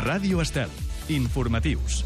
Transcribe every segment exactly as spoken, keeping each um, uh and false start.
Ràdio Estel. Informatius.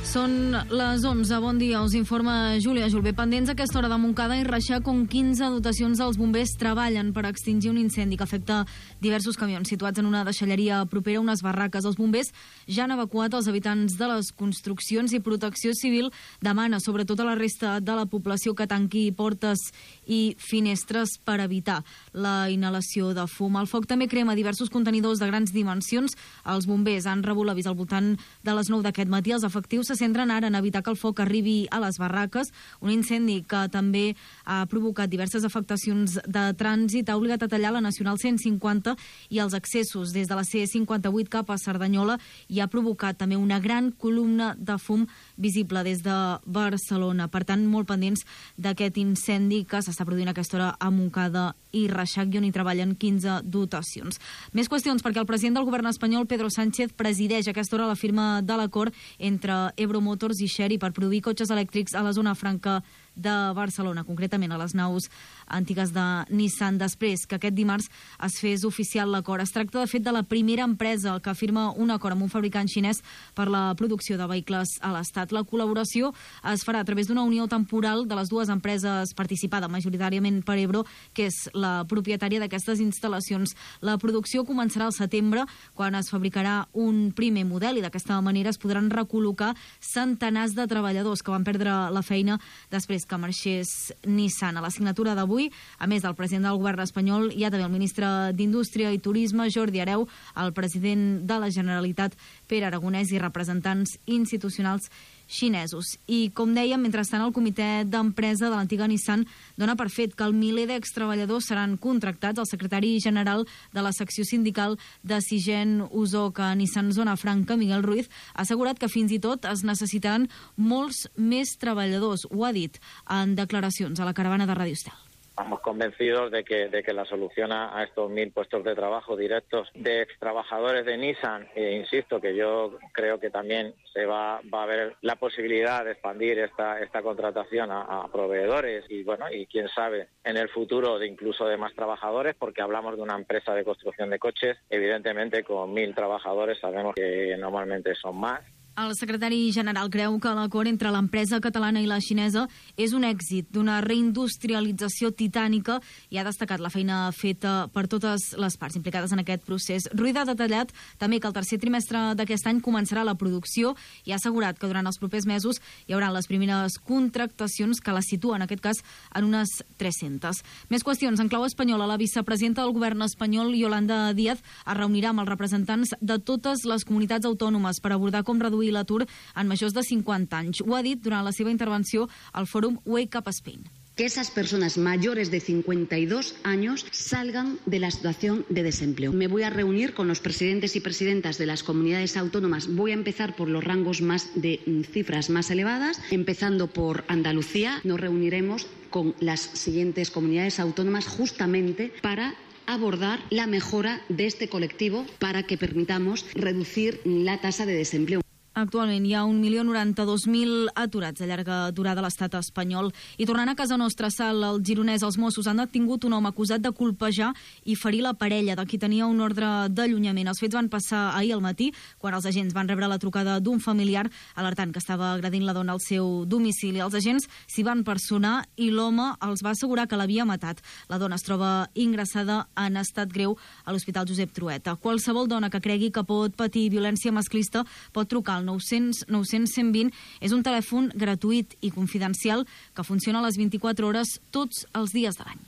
Són les onze. Bon dia, us informa Júlia Julbé. Pendents a aquesta hora de Montcada i Reixac, on quinze dotacions dels bombers treballen per extingir un incendi que afecta diversos camions situats en una deixalleria propera a unes barraques. Els bombers ja han evacuat els habitants de les construccions i Protecció Civil demana sobretot a la resta de la població que tanqui portes i finestres per evitar la inhalació de fum. El foc també crema diversos contenidors de grans dimensions. Els bombers han rebut l'avís al voltant de les nou d'aquest matí. Els efectius se centren ara en evitar que el foc arribi a les barraques, un incendi que també ha provocat diverses afectacions de trànsit, ha obligat a tallar la Nacional cent cinquanta i els accessos des de la C cinquanta-vuit cap a Cerdanyola i ha provocat també una gran columna de fum visible des de Barcelona. Per tant, molt pendents d'aquest incendi que s'està produint a aquesta hora a Montcada i Reixac, i on hi treballen quinze dotacions. Més qüestions, perquè el president del govern espanyol, Pedro Sánchez, presideix a aquesta hora la firma de l'acord entre Ebro Motors i Chery per produir cotxes elèctrics a la zona franca de Barcelona, concretament a les naus antigues de Nissan, després que aquest dimarts es fes oficial l'acord. Es tracta, de fet, de la primera empresa que firma un acord amb un fabricant xinès per la producció de vehicles a l'Estat. La col·laboració es farà a través d'una unió temporal de les dues empreses, participada majoritàriament per Ebro, que és la propietària d'aquestes instal·lacions. La producció començarà al setembre, quan es fabricarà un primer model, i d'aquesta manera es podran recol·locar centenars de treballadors que van perdre la feina després que marxés Nissan. A la signatura d'avui, a més del president del govern espanyol, hi ha també el ministre d'Indústria i Turisme, Jordi Hereu, el president de la Generalitat, Pere Aragonès, i representants institucionals xinesos. I, com dèiem, mentrestant, el comitè d'empresa de l'antiga Nissan dona per fet que el miler d'extreballadors seran contractats. El secretari general de la secció sindical de Sigen Usoc a Nissan Zona Franca, Miguel Ruiz, ha assegurat que fins i tot es necessitaran molts més treballadors. Ho ha dit en declaracions a la caravana de Ràdio Estel. Estamos convencidos de que, de que la solución a, a estos mil puestos de trabajo directos de extrabajadores de Nissan, e insisto que yo creo que también se va, va a haber la posibilidad de expandir esta, esta contratación a, a proveedores y bueno, y quién sabe en el futuro de incluso de más trabajadores, porque hablamos de una empresa de construcción de coches, evidentemente con mil trabajadores sabemos que normalmente son más. El secretari general creu que l'acord entre l'empresa catalana i la xinesa és un èxit d'una reindustrialització titànica i ha destacat la feina feta per totes les parts implicades en aquest procés. Ruiz ha detallat també que el tercer trimestre d'aquest any començarà la producció i ha assegurat que durant els propers mesos hi haurà les primeres contractacions que la situen, en aquest cas, en unes tres-centes. Més qüestions. En clau espanyola, la vicepresidenta del govern espanyol, Yolanda Díaz, es reunirà amb els representants de totes les comunitats autònomes per abordar com reduir l'atur en majors de cinquanta anys. Ho ha dit durant la seva intervenció al fòrum Wake Up Spain. Que esas personas mayores de cincuenta y dos años salgan de la situación de desempleo. Me voy a reunir con los presidentes y presidentas de las comunidades autónomas. Voy a empezar por los rangos más de cifras más elevadas, empezando por Andalucía. Nos reuniremos con las siguientes comunidades autónomas justamente para abordar la mejora de este colectivo para que permitamos reducir la tasa de desempleo. Actualment hi ha un milió noranta-dos mil aturats de llarga durada a l'estat espanyol. I tornant a casa nostra, Sal, el gironès, els Mossos han detingut un home acusat de colpejar i ferir la parella de qui tenia un ordre d'allunyament. Els fets van passar ahir al matí, quan els agents van rebre la trucada d'un familiar alertant que estava agredint la dona al seu domicili. Els agents s'hi van personar i l'home els va assegurar que l'havia matat. La dona es troba ingressada en estat greu a l'Hospital Josep Trueta. Qualsevol dona que cregui que pot patir violència masclista pot trucar al nou cents nou cents cent vint. És un telèfon gratuït i confidencial que funciona a les vint-i-quatre hores tots els dies de l'any.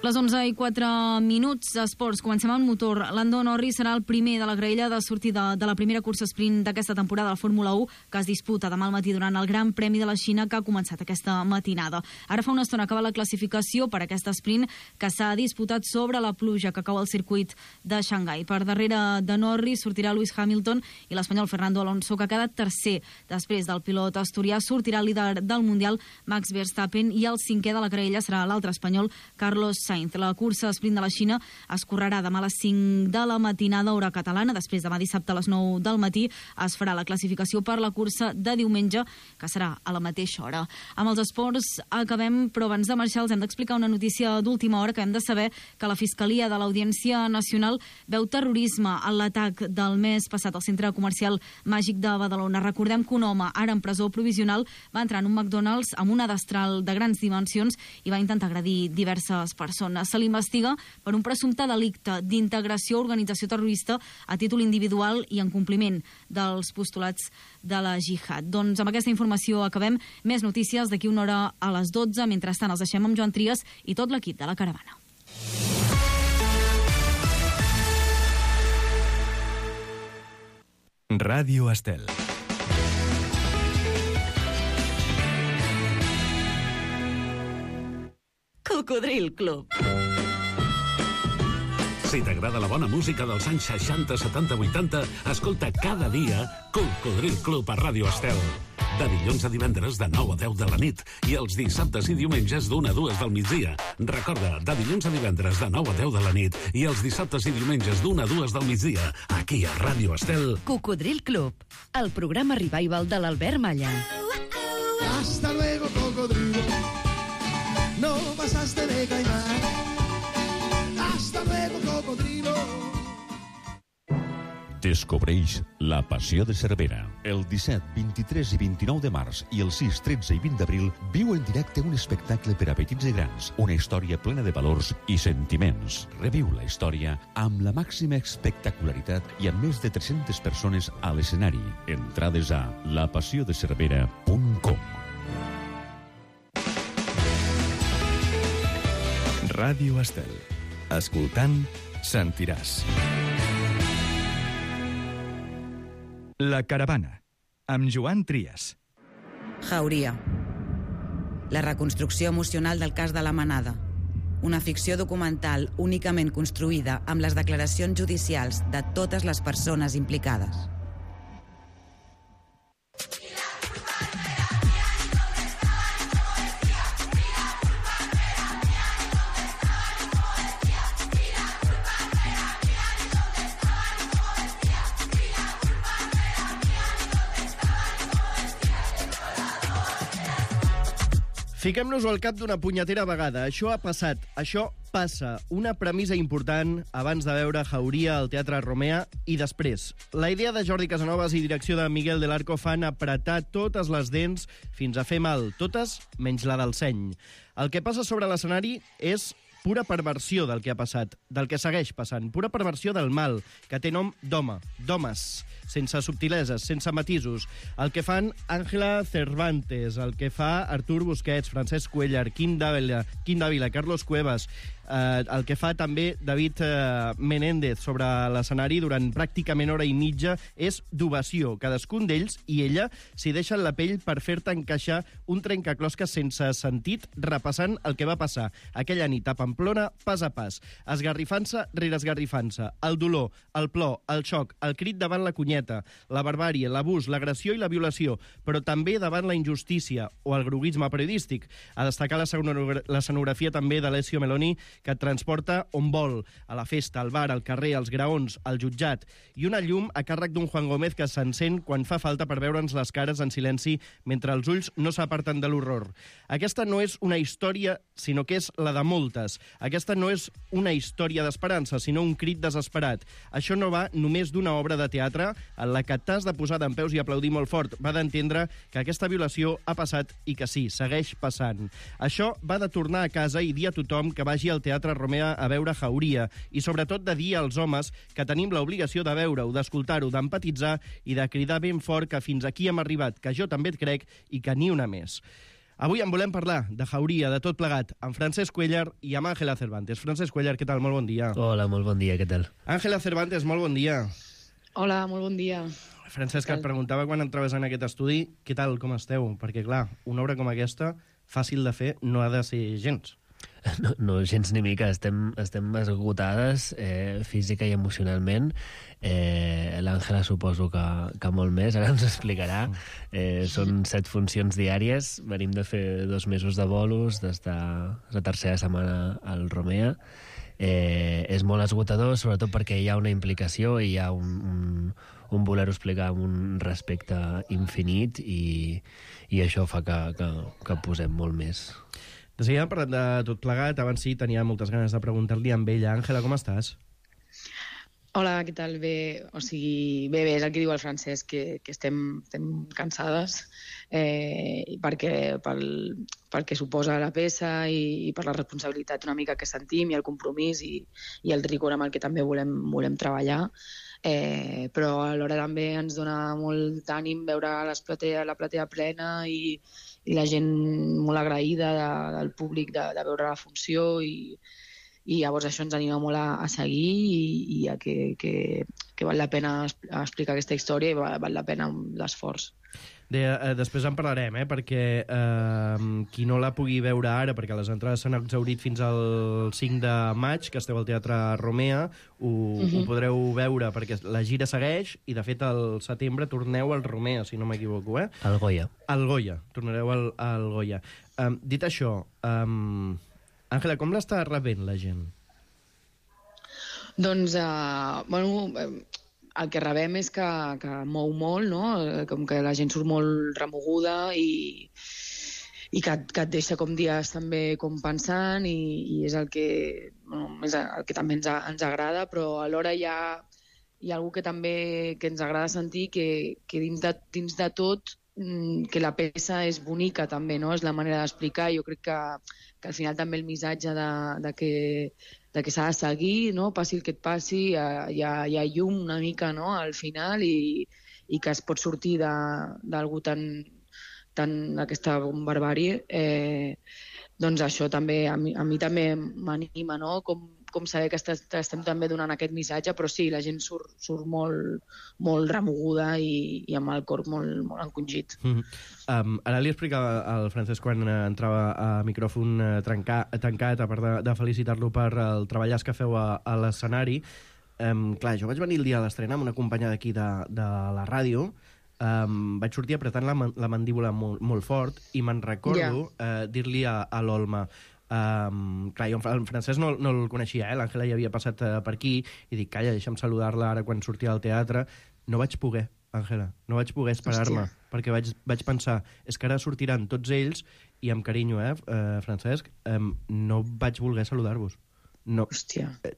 Les onze i quatre minuts, esports. Comencem amb motor. Lando Norris serà el primer de la graella de sortida de la primera cursa sprint d'aquesta temporada de la Fórmula u, que es disputa demà al matí durant el Gran Premi de la Xina, que ha començat aquesta matinada. Ara fa una estona acaba la classificació per aquest sprint, que s'ha disputat sobre la pluja que cau al circuit de Xangai. Per darrere de Norris sortirà Lewis Hamilton i l'espanyol Fernando Alonso, que ha quedat tercer. Després del pilot asturià sortirà el líder del Mundial, Max Verstappen, i el cinquè de la graella serà l'altre espanyol, Carlos Sainz. La cursa sprint de la Xina es correrà demà a les cinc de la matinada, hora catalana. Després, demà dissabte a les nou del matí, es farà la classificació per la cursa de diumenge, que serà a la mateixa hora. Amb els esports acabem, però abans de marxar els hem d'explicar una notícia d'última hora, que hem de saber que la Fiscalia de l'Audiència Nacional veu terrorisme en l'atac del mes passat al centre comercial Màgic de Badalona. Recordem que un home, ara en presó provisional, va entrar en un McDonald's amb una destral de grans dimensions i va intentar agredir diverses persones. Se l'investiga per un presumpte delicte d'integració o organització terrorista a títol individual i en compliment dels postulats de la jihad. Doncs amb aquesta informació acabem. Més notícies d'aquí una hora a les dotze. Mentrestant els deixem amb Joan Trias i tot l'equip de la Caravana. Ràdio Estel. Cocodril Club. Si t'agrada la bona música dels anys seixanta, setanta, vuitanta, escolta cada dia Cocodril Club a Ràdio Estel. De dilluns a divendres de nou a deu de la nit i els dissabtes i diumenges d'una a dues del migdia. Recorda, de dilluns a divendres de nou a deu de la nit i els dissabtes i diumenges d'una a dues del migdia, aquí a Ràdio Estel. Cocodril Club, el programa revival de l'Albert Malla. Hasta luego, cocodrilo. No pasaste de caimán. Hasta luego, cocodrilo. Descobreix La Passió de Cervera. El disset, vint-i-tres i vint-i-nou de març i el sis, tretze i vint d'abril viu en directe un espectacle per a petits i grans, una història plena de valors i sentiments. Reviu la història amb la màxima espectacularitat i amb més de tres-centes persones a l'escenari. Entrades a la passió de cervera punt com. Ràdio Estel. Escoltant, sentiràs. La Caravana, amb Joan Trias. Jauria. La reconstrucció emocional del cas de la Manada. Una ficció documental únicament construïda amb les declaracions judicials de totes les persones implicades. Fiquem-nos-ho al cap d'una punyetera vegada. Això ha passat, això passa. Una premissa important abans de veure Jauria al Teatre Romea i després. La idea de Jordi Casanovas i direcció de Miguel del Arco fan apretar totes les dents fins a fer mal, totes menys la del seny. El que passa sobre l'escenari és pura perversió del que ha passat, del que segueix passant, pura perversió del mal, que té nom d'home, d'homes, sense subtileses, sense matisos. El que fan Ángela Cervantes, el que fa Artur Busquets, Francesc Cuéllar, Quim Dávila, Quim Dávila, Carlos Cuevas, eh, el que fa també David eh, Menéndez sobre l'escenari durant pràcticament hora i mitja és d'ovació. Cadascun d'ells i ella s'hi deixen la pell per fer-te encaixar un trencaclosques sense sentit, repassant el que va passar aquella nit a Pamplona, pas a pas, esgarrifant-se rere esgarrifant-se, el dolor, el plor, el xoc, el crit davant la cunyeta, la barbàrie, l'abús, l'agressió i la violació, però també davant la injustícia o el groguisme periodístic. A destacar l'escenografia també d'Alessio Meloni, que et transporta on vol, a la festa, al bar, al carrer, als graons, al jutjat, i una llum a càrrec d'un Juan Gómez que s'encén quan fa falta per veure'ns les cares en silenci mentre els ulls no s'aparten de l'horror. Aquesta no és una història, sinó que és la de moltes. Aquesta no és una història d'esperança, sinó un crit desesperat. Això no va només d'una obra de teatre en la que t'has de posar dempeus i aplaudir molt fort. Va d'entendre que aquesta violació ha passat i que sí, segueix passant. Això va de tornar a casa i dir a tothom que vagi al Teatre Romea a veure Jauria i sobretot de dir als homes que tenim l'obligació de veure-ho, d'escoltar-ho, d'empatitzar i de cridar ben fort que fins aquí hem arribat, que jo també et crec i que ni una més. Avui en volem parlar de Jauria, de tot plegat, amb Francesc Cuéllar i amb Ángela Cervantes. Francesc Cuéllar, què tal? Molt bon dia. Hola, molt bon dia, què tal? Ángela Cervantes, molt bon dia. Hola, molt bon dia. Francesc, et preguntava quan entraves en aquest estudi, què tal, com esteu? Perquè, clar, una obra com aquesta, fàcil de fer, no ha de ser gens. No, no, gens ni mica. Estem, estem esgotades eh, física i emocionalment. Eh, L'Àngela suposo que, que molt més, ara ens explicarà. Eh, són set funcions diàries. Venim de fer dos mesos de bolos, d'estar la tercera setmana al Romea. Eh, és molt esgotador, sobretot perquè hi ha una implicació i hi ha un, un, un voler-ho explicar amb un respecte infinit i, i això fa que, que, que posem molt més. De seguida parlant de tot plegat, abans sí, tenia moltes ganes de preguntar-li amb ella. Àngela, com estàs? Hola, què tal? Bé, o sigui, bé, bé, és el que diu el Francesc, que, que estem, estem cansades eh, perquè, pel, pel que suposa la peça i, i per la responsabilitat una mica que sentim i el compromís i, i el rigor amb el que també volem, volem treballar. Eh, però alhora també ens dona molt d'ànim veure les platea, la platea plena i, i la gent molt agraïda de, del públic de, de veure la funció i, i llavors això ens anima molt a, a seguir i, i a que, que, que val la pena explicar aquesta història i val, val la pena l'esforç. De, eh, després en parlarem, eh, perquè eh, qui no la pugui veure ara, perquè les entrades s'han exhaurit fins al cinc de maig, que esteu al Teatre Romea, ho, uh-huh. ho podreu veure, perquè la gira segueix, i de fet al setembre torneu al Romea, si no m'equivoco, eh? Al Goya. Al Goya, tornareu al, al Goya. Um, dit això, um, Àngela, com l'està rebent la gent? Doncs, uh, bueno... Uh, el que rebem és que, que mou molt, no? Com que la gent surt molt remoguda i, i que, que et deixa com dies també com pensant i, i és el que, bueno, és el que també ens, ens agrada, però alhora hi ha, hi ha algú que també que ens agrada sentir que, que dins, de, dins de tot que la peça és bonica també, no? És la manera d'explicar. Jo crec que, que al final també el missatge de, de que de que s'ha de seguir, no? Passi el que et passi, hi ha, hi ha llum una mica, no? Al final i, i que es pot sortir d'algú tan, tan aquesta barbàrie. Eh, doncs això també, a mi, a mi també m'anima, no? Com, com saber que estem, estem també donant aquest missatge, però sí, la gent surt, surt molt, molt remoguda i, i amb el cor molt, molt encongit. Mm-hmm. Um, ara li explicava al Francesc quan uh, entrava a micròfon uh, trencar, tancat, a part de, de felicitar-lo per el treballàs que feu a, a l'escenari. Um, clar, jo vaig venir el dia de l'estrena amb una companya d'aquí de, de la ràdio. Um, vaig sortir apretant la, la mandíbula molt, molt fort i me'n recordo yeah. uh, dir-li a, a l'Olma Um, clar, jo el Francesc no, no el coneixia, eh? L'Àngela ja havia passat uh, per aquí i dic, calla, deixa'm saludar-la ara quan sortia al teatre. No vaig poder, Àngela, no vaig poder esperar-me, perquè vaig, vaig pensar, és que ara sortiran tots ells i amb carinyo, eh, uh, Francesc, um, no vaig voler saludar-vos. No, Hòstia. Eh,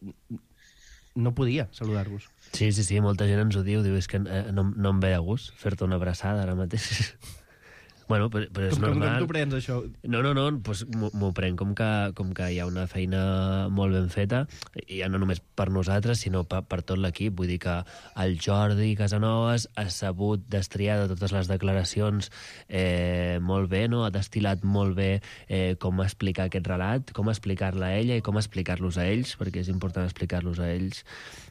no podia saludar-vos. Sí, sí, sí, molta gent ens ho diu, diu, és que eh, no, no em ve de gust fer-te una abraçada ara mateix. Bueno, però, però és com, normal. Com, com t'ho prens, això? No, no, no, doncs m'ho prenc com que, com que hi ha una feina molt ben feta, i ja no només per nosaltres, sinó per, per tot l'equip. Vull dir que el Jordi Casanovas ha sabut destriar de totes les declaracions eh, molt bé, no? Ha destil·lat molt bé eh, com explicar aquest relat, com explicar-la a ella i com explicar-los a ells, perquè és important explicar-los a ells,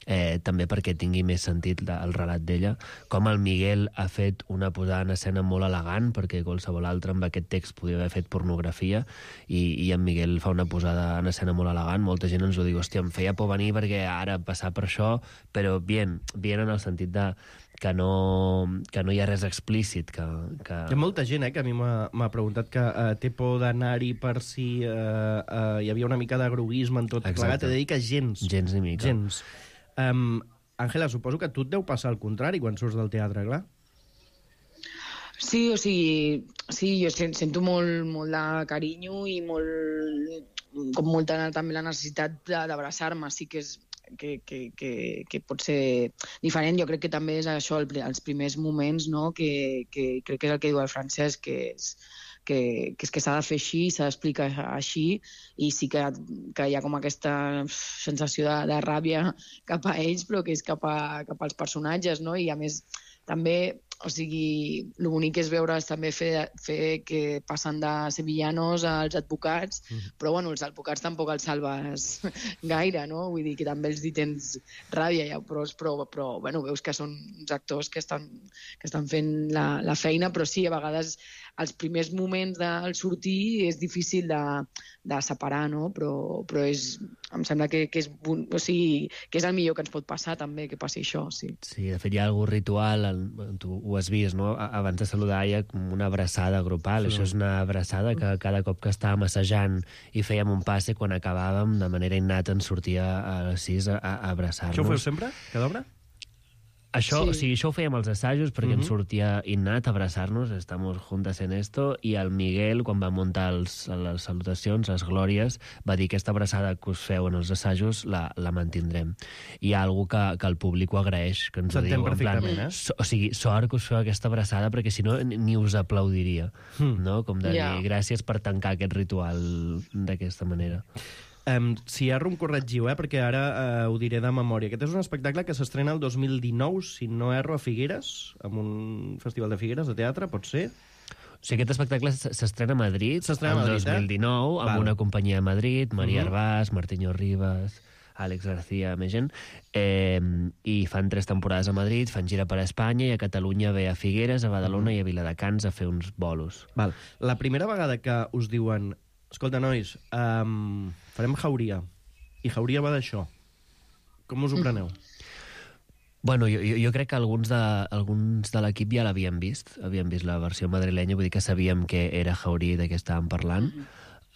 eh, també perquè tingui més sentit el relat d'ella. Com el Miguel ha fet una posada en escena molt elegant, perquè qualsevol altre amb aquest text podia haver fet pornografia, i, i en Miguel fa una posada en escena molt elegant. Molta gent ens ho diu, hòstia, em feia por venir perquè ara passar per això, però bien, bien en el sentit de que no, que no hi ha res explícit. Que, que... Hi ha molta gent eh, que a mi m'ha preguntat que uh, té por d'anar-hi per si uh, uh, hi havia una mica de groguisme en tot plegat. He de dir que gens. Gens ni mica. Gens. Um, Àngela, suposo que a tu et deu passar el contrari quan surts del teatre, clar? Sí, o sigui, sí, jo sento molt, molt de carinyo i molt, com molta també la necessitat d'abraçar-me. Sí que és que, que, que, que pot ser diferent. Jo crec que també és això, el, els primers moments, no? que, que crec que és el que diu el Francesc, que és que, que, és que s'ha de fer així, s'ha d'explicar així, i sí que, que hi ha com aquesta sensació de, de ràbia cap a ells, però que és cap, a, cap als personatges, no? I a més també o sigui, el bonic és veure també fer, fer que passen de ser villanos als advocats, mm. però bueno, els advocats tampoc els salves gaire, no? Vull dir que també els hi tens ràbia, ja, però, però, però bueno, veus que són uns actors que estan, que estan fent la, la feina, però sí, a vegades els primers moments del sortir és difícil de, de separar, no? Però, però és, em sembla que, que, és, o sigui, que és el millor que ens pot passar també, que passi això, sí. Sí, de fet hi ha algun ritual, tu ho has vist, no? Abans de saludar hi ha una abraçada grupal, sí. Això és una abraçada que cada cop que estàvem assajant i fèiem un passe, quan acabàvem, de manera innata ens sortia a les sis a, a abraçar-nos. Això ho feu sempre, cada obra? Això, sí. O sigui, això ho fèiem als assajos perquè uh-huh. ens sortia innat abrazar-nos, estamos juntas en esto, i el Miguel, quan va muntar els, les salutacions, les glòries, va dir que aquesta abraçada que us feu en els assajos la, la mantindrem. I hi ha algú que, que el públic ho agraeix, que ens ho diu. En plan, eh? so, o sigui, sort que us feu aquesta abraçada perquè si no ni us aplaudiria, hmm. no? Com de dir, yeah. gràcies per tancar aquest ritual d'aquesta manera. Um, si erro, em corregiu, eh? Perquè ara uh, ho diré de memòria. Aquest és un espectacle que s'estrena el dos mil dinou, si no erro, a Figueres, en un festival de Figueres, de teatre, pot ser? O sigui, aquest espectacle s'estrena a Madrid el Madrid, dos mil dinou, eh? amb una companyia a Madrid, Maria uh-huh. Arbàs, Martiño Rivas, Àlex García, més gent, eh, i fan tres temporades a Madrid, fan gira per a Espanya, i a Catalunya ve a Figueres, a Badalona uh-huh. i a Viladecans a fer uns bolos. Val. La primera vegada que us diuen escolta, nois, um, farem Jauria, i Jauria va d'això. Com us ho preneu? Bueno, jo, jo crec que alguns de, alguns de l'equip ja l'havien vist, havien vist la versió madrilenya, vull dir que sabíem que era Jauria de què estàvem parlant.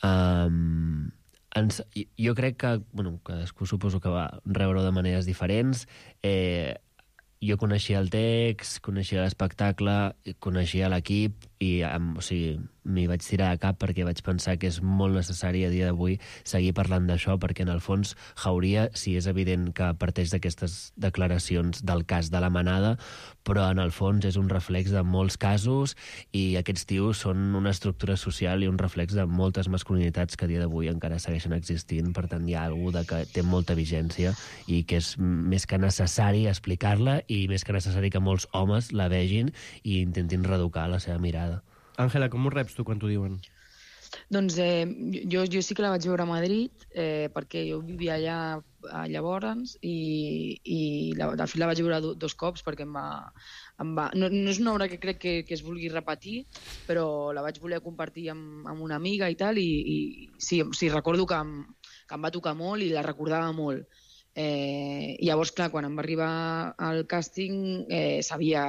Um, ens, jo crec que, bueno, cadascú suposo que va rebre de maneres diferents. Eh, jo coneixia el text, coneixia l'espectacle, coneixia l'equip, i o sigui, m'hi vaig tirar de cap perquè vaig pensar que és molt necessari a dia d'avui seguir parlant d'això, perquè en el fons Jauria sí és evident que parteix d'aquestes declaracions del cas de la Manada, però en el fons és un reflex de molts casos, i aquests tios són una estructura social i un reflex de moltes masculinitats que a dia d'avui encara segueixen existint. Per tant, hi ha alguna que té molta vigència i que és més que necessari explicar-la, i més que necessari que molts homes la vegin i intentin reeducar la seva mirada. Àngela, com ho reps tu quan t'ho diuen? Doncs eh, jo, jo sí que la vaig veure a Madrid, eh, perquè jo vivia allà llavors, i, i la, de fet la vaig veure do, dos cops perquè em va... Em va no, no és una obra que crec que, que es vulgui repetir, però la vaig voler compartir amb, amb una amiga i tal, i, i sí, sí, recordo que em, que em va tocar molt i la recordava molt. Eh, llavors, clar, quan em va arribar al càsting eh, sabia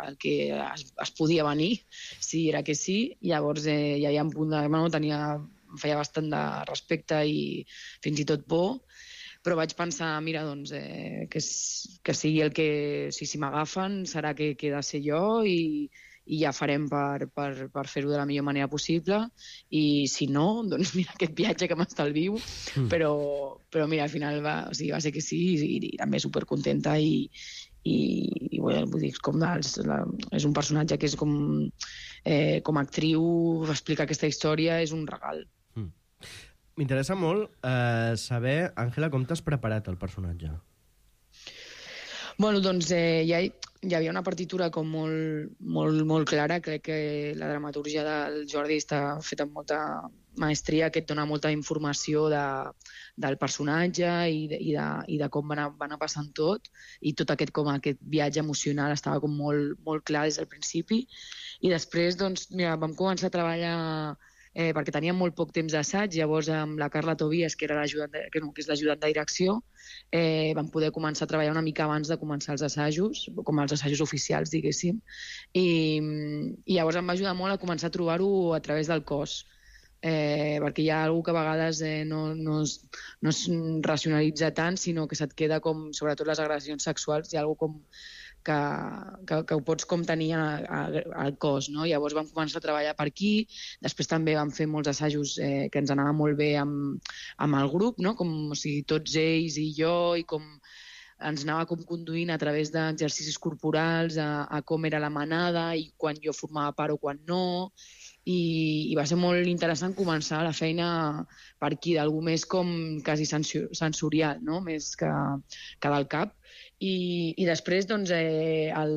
el que es, es podia venir, si era que sí. Llavors eh, ja hi ha un punt de... Bueno, tenia, em feia bastant de respecte i fins i tot por, però vaig pensar, mira, doncs, eh, que, que sigui el que... Si, si m'agafen serà que, que he de ser jo, i, i ja farem per, per, per fer-ho de la millor manera possible, i si no, doncs mira aquest viatge que m'estalvio, mm. però, però mira, al final va, o sigui, va ser que sí, i, i també supercontenta, i, i, i bueno, vull dir, com els, la, és un personatge que és com, eh, com a actriu, explicar aquesta història és un regal. Mm. M'interessa molt eh, saber, Àngela, com t'has preparat el personatge? Bueno, doncs eh, ja hi, hi havia una partitura com molt, molt, molt clara. Crec que la dramaturgia del Jordi està feta amb molta maestria, que et dona molta informació de, del personatge i de, i de, i de com va anar, va anar passant tot, i tot aquest, com aquest viatge emocional estava com molt, molt clar des del principi. I després, doncs, mira, vam començar a treballar eh, perquè teníem molt poc temps d'assaig. Llavors, amb la Carla Tobias, que, era de, que, no, que és l'ajudant de direcció, eh, vam poder començar a treballar una mica abans de començar els assajos, com els assajos oficials, diguéssim. I, i llavors em va ajudar molt a començar a trobar-ho a través del cos, eh, perquè hi ha alguna que a vegades eh, no, no, es, no es racionalitza tant, sinó que se't queda com, sobretot les agressions sexuals, hi ha alguna com que, que, que ho pots com tenir al cos, no? Llavors vam començar a treballar per aquí, després també vam fer molts assajos eh, que ens anava molt bé amb, amb el grup, no? Com, o sigui, tots ells i jo, i com ens anava com conduint a través d'exercicis corporals a, a com era la manada i quan jo formava part o quan no, i, i va ser molt interessant començar la feina per aquí, d'algú més com quasi sensorial, no? Més que, que del cap. I, i després, doncs, eh, el,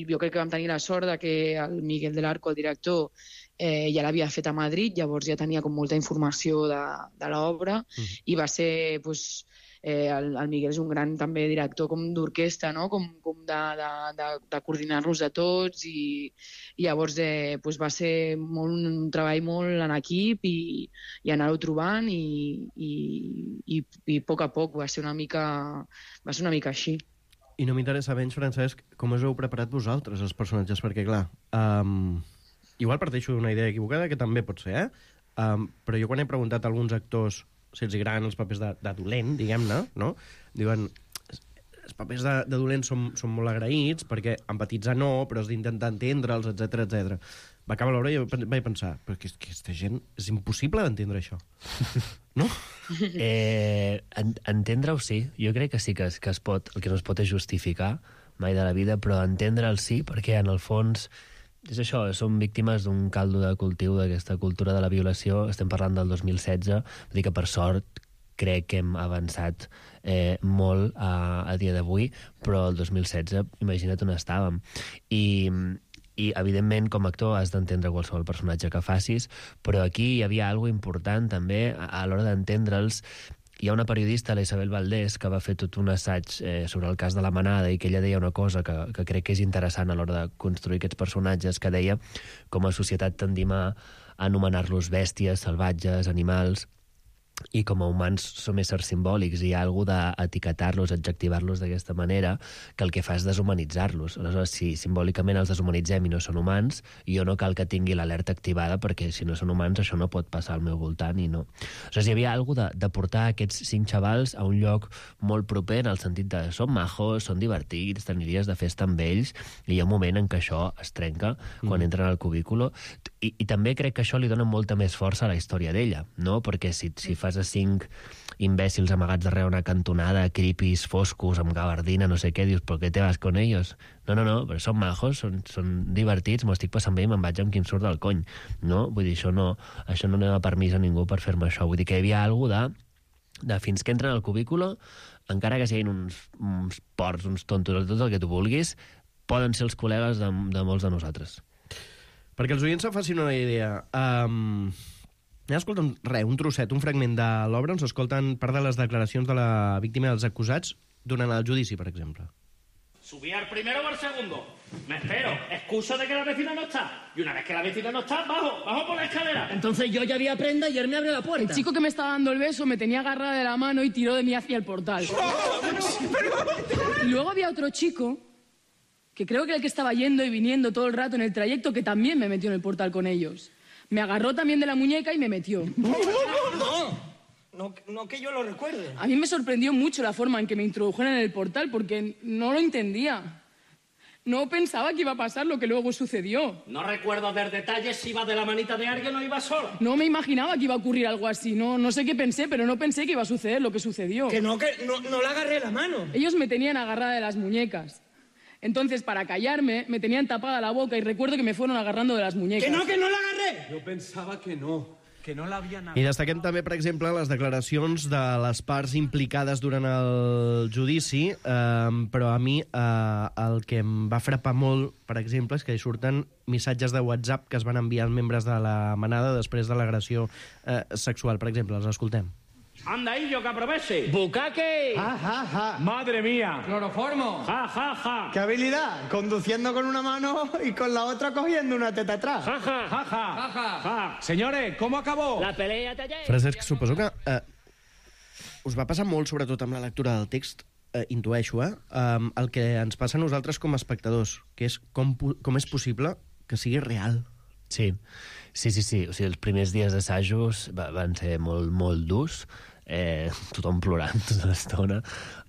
jo crec que vam tenir la sort de que el Miguel del Arco, el director, eh, ja l'havia fet a Madrid, llavors ja tenia com molta informació de, de l'obra, mm. i va ser, doncs, eh, el, el Miguel és un gran també director com d'orquestra, no? com, com de, de, de, de coordinar-los a tots, i, i llavors eh, doncs va ser molt, un treball molt en equip i, i anar-ho trobant, i, i, i, i a poc a poc va ser una mica, va ser una mica així. I no m'interessa menys, Francesc, com us heu preparat vosaltres, els personatges, perquè, clar, um, igual parteixo d'una idea equivocada, que també pot ser, eh? Um, però jo quan he preguntat a alguns actors si els agraden els papers de, de dolent, diguem-ne, no? Diuen, els papers de, de dolent són, són molt agraïts, perquè empatitzar no, però has d'intentar entendre'ls, etcètera, etcètera. Va acabar l'obra i vaig pensar, però que, que aquesta gent és impossible d'entendre això. No? Eh, en, entendre-ho sí, jo crec que sí que es, que es pot, el que no es pot és justificar mai de la vida, però entendre'l sí, perquè en el fons és això, som víctimes d'un caldo de cultiu d'aquesta cultura de la violació. Estem parlant del dos mil setze, vull dir que per sort crec que hem avançat eh, molt a, a dia d'avui, però el dos mil setze, imagina't on estàvem. I, i evidentment, com a actor has d'entendre qualsevol personatge que facis, però aquí hi havia alguna important també a, a l'hora d'entendre'ls. Hi ha una periodista, la Isabel Valdés, que va fer tot un assaig eh, sobre el cas de la Manada, i que ella deia una cosa que, que crec que és interessant a l'hora de construir aquests personatges, que deia com a societat tendim a anomenar-los bèsties, salvatges, animals, i com a humans som éssers simbòlics, i hi ha alguna d'etiquetar-los, adjectivar-los d'aquesta manera, que el que fa és deshumanitzar-los. Aleshores, si simbòlicament els deshumanitzem i no són humans, jo no cal que tingui l'alerta activada, perquè si no són humans això no pot passar al meu voltant, i no. Aleshores, hi havia alguna de, de portar aquests cinc xavals a un lloc molt proper, en el sentit de són majos, són divertits, t'aniries de festa amb ells, i hi ha un moment en què això es trenca quan mm. entren al cubículo, i, i també crec que això li dona molta més força a la història d'ella, no? Perquè si, si fas a cinc imbècils amagats darrere una cantonada, cripis, foscos, amb gabardina, no sé què, dius, però què te vas con ellos? No, no, no, però són majos, són, són divertits, m'ho estic passant bé i me'n vaig amb quin surt del cony, no? Vull dir, això no, això no dona permís a ningú per fer-me això. Vull dir que hi havia alguna de, de fins que entren al cubículo, encara que siguin uns, uns porcs, uns tontos, tot el que tu vulguis, poden ser els col·legues de, de molts de nosaltres. Perquè els oients se facin una idea... Um... Ja escolten res, un trosset, un fragment de l'obra on s'escolten part de les declaracions de la víctima dels acusats durant el judici, per exemple. ¿Subí al primero o al segundo? Me espero, excuso de que la vecina no está. Y una vez que la vecina no está, bajo, bajo por la escalera. Entonces yo ya había prenda y él me abrió la puerta. El chico que me estaba dando el beso me tenía agarrada de la mano y tiró de mí hacia el portal. Y luego había otro chico, que creo que era el que estaba yendo y viniendo todo el rato en el trayecto, que también me metió en el portal con ellos. Me agarró también de la muñeca y me metió. No, no, no que yo lo recuerde. A mí me sorprendió mucho la forma en que me introdujeron en el portal, porque no lo entendía. No pensaba que iba a pasar lo que luego sucedió. No recuerdo ver detalles si iba de la manita de alguien o iba sola. No me imaginaba que iba a ocurrir algo así. No, no sé qué pensé, pero no pensé que iba a suceder lo que sucedió. Que no, que no, no le agarré la mano. Ellos me tenían agarrada de las muñecas. Entonces, para callarme, me tenían tapada la boca y recuerdo que me fueron agarrando de las muñecas. ¡Que no, que no la agarré! Yo pensaba que no, que no l'havia agarrat. I destaquem també, per exemple, les declaracions de les parts implicades durant el judici, eh, però a mi eh, el que em va frapar molt, per exemple, és que hi surten missatges de WhatsApp que es van enviar als membres de la manada després de l'agressió eh, sexual. Per exemple, els escoltem. Anda, Illo, que aproveche. ¡Bucaque! Ja, ja, ja. Madre mía. ¡Cloroformo! Ja, ja, ja. ¡Qué habilidad! Conduciendo con una mano y con la otra cogiendo una teta atrás. Ja, ja, ja, ja. Ja, ja. Ja. Señores, ¿cómo acabó? La pelea taller. Francesc, suposo que eh, us va passar molt, sobretot amb la lectura del text, eh, intueixo, eh, um, el que ens passa a nosaltres com a espectadors, que és com, com és possible que sigui real. Sí, sí, sí, sí. O sigui, els primers dies d'assajos van ser molt, molt durs, eh, tothom plorant tota l'estona,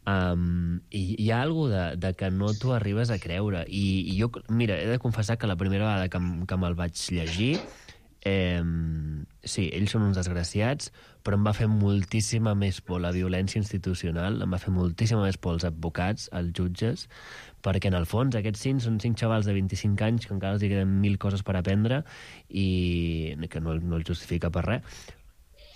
um, i hi ha alguna de, de que no t'ho arribes a creure. I, i jo, mira, he de confessar que la primera vegada que, que me'l vaig llegir, eh, sí, ells són uns desgraciats, però em va fer moltíssima més por la violència institucional, em va fer moltíssima més por els advocats, els jutges, perquè en el fons aquests cinc són cinc xavals de vint-i-cinc anys que encara els hi queden mil coses per aprendre i que no, no els justifica per res,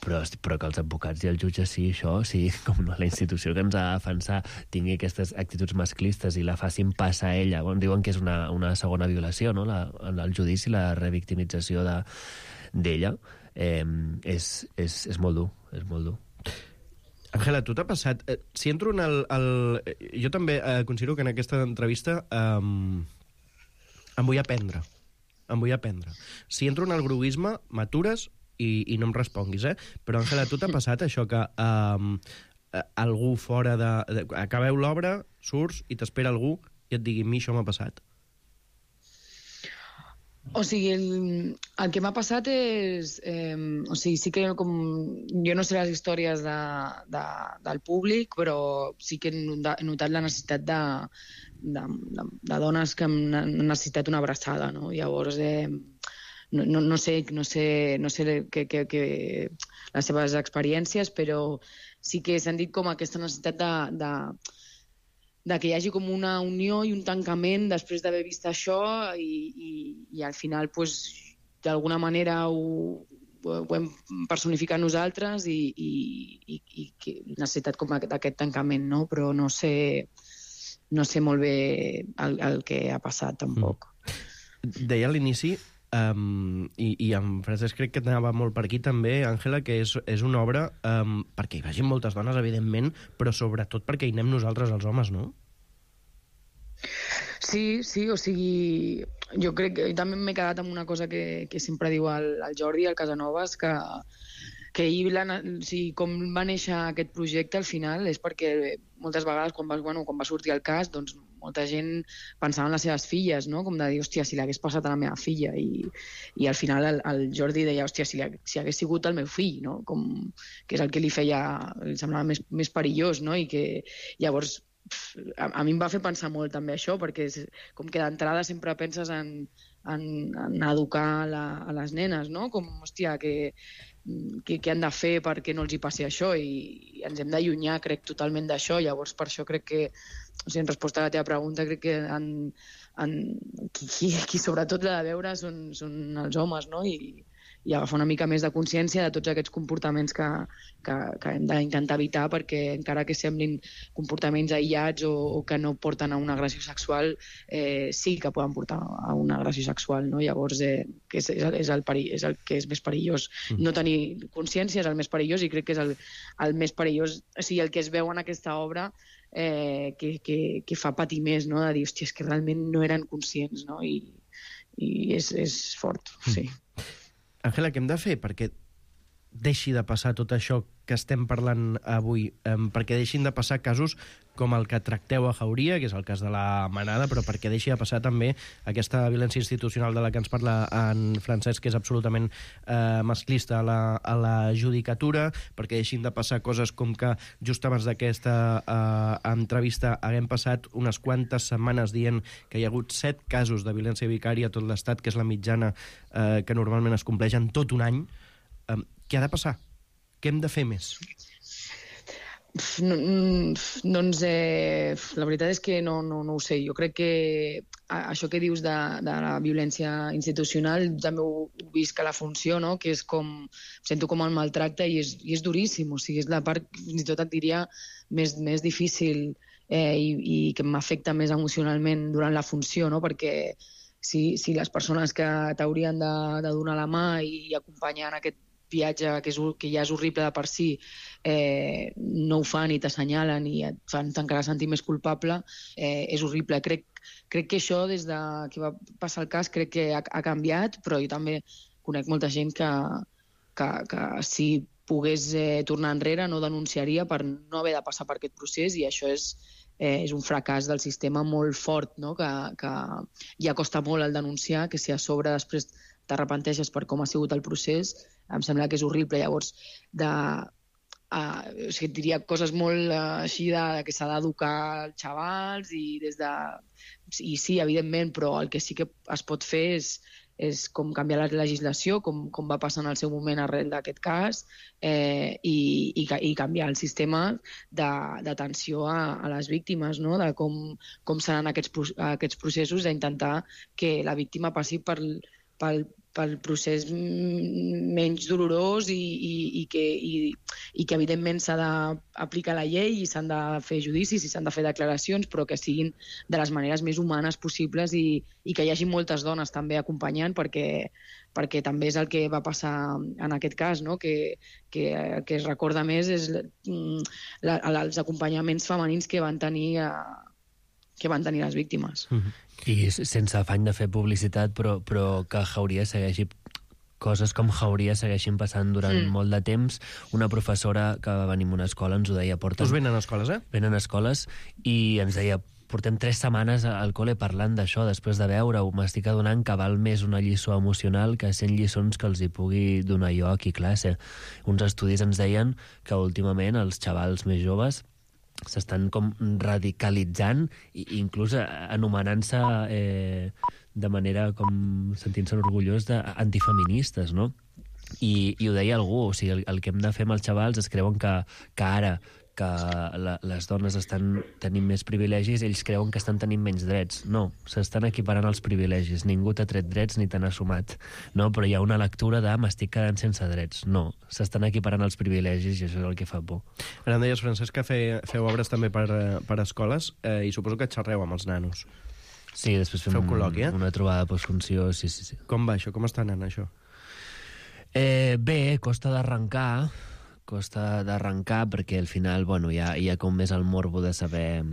però, però que els advocats i els jutges sí, això, sí, com no, la institució que ens ha de defensar tingui aquestes actituds masclistes i la facin passar a ella. Bueno, diuen que és una, una segona violació, no? La, el judici, la revictimització de, d'ella, eh, és, és, és molt dur, és molt dur. Àngela, tu t'ha passat... Eh, si entro en el... el jo també eh, considero que en aquesta entrevista eh, em vull aprendre. Em vull aprendre. Si entro en el gruisme, m'atures i, i no em responguis, eh? Però, Àngela, tu t'ha passat això que eh, algú fora de... de acabeu l'obra, surts i t'espera algú i et digui, a mi això m'ha passat? O sigui, el, el que m'ha passat és... Eh, o sigui, sí que com... Jo no sé les històries de, de, del públic, però sí que he notat la necessitat de, de, de, de dones que han necessitat una abraçada, no? Llavors, eh, no, no, no sé, no sé, no sé que, que, que les seves experiències, però sí que he sentit com aquesta necessitat de... de de que hi hagi com una unió i un tancament després d'haver vist això i, i, i al final, pues, d'alguna manera ho, ho hem personificat nosaltres i, i, i, i, i necessitat com d'aquest tancament, no? Però no sé, no sé molt bé el, el que ha passat, tampoc. Mm. Deia a l'inici, um, i, i en Francesc crec que anava molt per aquí també, Àngela, que és, és una obra um, perquè hi vagin moltes dones, evidentment, però sobretot perquè hi anem nosaltres els homes, no? Sí, sí, o sigui, jo crec que també m'he quedat amb una cosa que, que sempre diu el, el Jordi, el Casanovas, que, que ell, la, o sigui, com va néixer aquest projecte al final és perquè moltes vegades quan va, bueno, quan va sortir el cas, doncs molta gent pensava en les seves filles, no? Com de dir, hòstia, si l'hagués passat a la meva filla. I, i al final el, el Jordi deia, hòstia, si, si hagués sigut el meu fill, no? Com, que és el que li feia, li semblava més, més perillós, no? I que llavors A, a mi em va fer pensar molt també això, perquè és, com que d'entrada sempre penses en, en, en educar la, a les nenes, no? Com, hòstia, que, que, que han de fer perquè no els hi passi això, i, i ens hem d'allunyar, crec, totalment d'això. Llavors, per això crec que, o sigui, en resposta a la teva pregunta, crec que en, en, qui, qui, qui sobretot l'ha de veure són, són els homes, no? I, i agafar una mica més de consciència de tots aquests comportaments que, que, que hem d'intentar evitar, perquè encara que semblin comportaments aïllats o, o que no porten a una agressió sexual, eh, sí que poden portar a una agressió sexual, no? Llavors, eh, que és, és, el, és, el perill, és el que és més perillós. Mm. No tenir consciència és el més perillós, i crec que és el, el més perillós, o sigui, el que es veu en aquesta obra, eh, que, que, que fa patir més, no? De dir, hòstia, és que realment no eren conscients, no? I, i és, és fort, sí. Mm. Àngela, què hem de fer perquè deixi de passar tot això que estem parlant avui, um, perquè deixin de passar casos com el que tracteu a Jauria, que és el cas de la Manada, però perquè deixi de passar també aquesta violència institucional de la que ens parla en Francesc, que és absolutament eh, masclista a la, a la judicatura, perquè deixin de passar coses com que just abans d'aquesta eh, entrevista haguem passat unes quantes setmanes dient que hi ha hagut set casos de violència vicària a tot l'Estat, que és la mitjana eh, que normalment es compleix en tot un any. Eh, què ha de passar? Què hem de fer més? No, doncs eh, la veritat és que no, no, no ho sé. Jo crec que això que dius de, de la violència institucional també ho he vist que la funció, no? Que és com, sento com el maltracte i és, i és duríssim, o sigui, és la part, fins i tot et diria, més, més difícil eh, i, i que m'afecta més emocionalment durant la funció, no? Perquè si, si les persones que t'haurien de, de donar la mà i acompanyar en aquest viatge que, és, que ja és horrible de per si, eh, no ho fan i t'assenyalen i et fan encara sentir més culpable, eh, és horrible. Crec, crec que això, des de que va passar el cas, crec que ha, ha canviat, però jo també conec molta gent que, que, que si pogués eh, tornar enrere no denunciaria per no haver de passar per aquest procés, i això és, eh, és un fracàs del sistema molt fort, no? que, que ja costa molt el denunciar, que si a sobre després t'arrepenteixes per com ha sigut el procés, em sembla que és horrible. Llavors, de, uh, o sigui, diria coses molt uh, així de, de que s'ha d'educar els xavals i des de... I sí, evidentment, però el que sí que es pot fer és, és com canviar la legislació, com, com va passar en el seu moment arrel d'aquest cas, eh, i, i, i canviar el sistema d'atenció a, a les víctimes, no? De com, com seran aquests, aquests processos, d'intentar que la víctima passi per, pel, pel procés menys dolorós i, i, i, que, i, i que evidentment s'ha d'aplicar la llei i s'han de fer judicis i s'han de fer declaracions, però que siguin de les maneres més humanes possibles i, i que hi hagi moltes dones també acompanyant, perquè, perquè també és el que va passar en aquest cas, no? que, que, que es recorda més és la, els acompanyaments femenins que van tenir a, que van tenir les víctimes. Mm-hmm. I sense afany de fer publicitat, però, però que Jauria segueixi... coses com Jauria segueixin passant durant mm. molt de temps. Una professora que va venir a una escola ens ho deia... Porten, Us venen a escoles, eh? Venen a escoles i ens deia portem tres setmanes al col·le parlant d'això, després de veure-ho. M'estic adonant que val més una lliçó emocional que cent lliçons que els hi pugui donar jo aquí a classe. Uns estudis ens deien que últimament els xavals més joves s'estan com radicalitzant i inclús anomenant-se eh, de manera com sentint-se orgullós d'antifeministes, no? I, i ho deia algú, o sigui, el, el que hem de fer amb els xavals es creuen que, que ara que la, les dones estan tenint més privilegis, ells creuen que estan tenint menys drets. No, s'estan equiparant els privilegis. Ningú t'ha tret drets ni te n'ha sumat. No? Però hi ha una lectura de m'estic quedant sense drets. No, s'estan equiparant els privilegis i això és el que fa por. Ara em deies, Francesc, que fe, feu obres també per, per escoles eh, i suposo que xerreu amb els nanos. Sí, després fem Feu col·loqui, eh? una trobada postfunció, sí, sí, sí. Com va això? Com està anant això? Eh, bé, costa d'arrencar, costa d'arrencar perquè al final, bueno, hi ha, hi ha com més el morbo de saber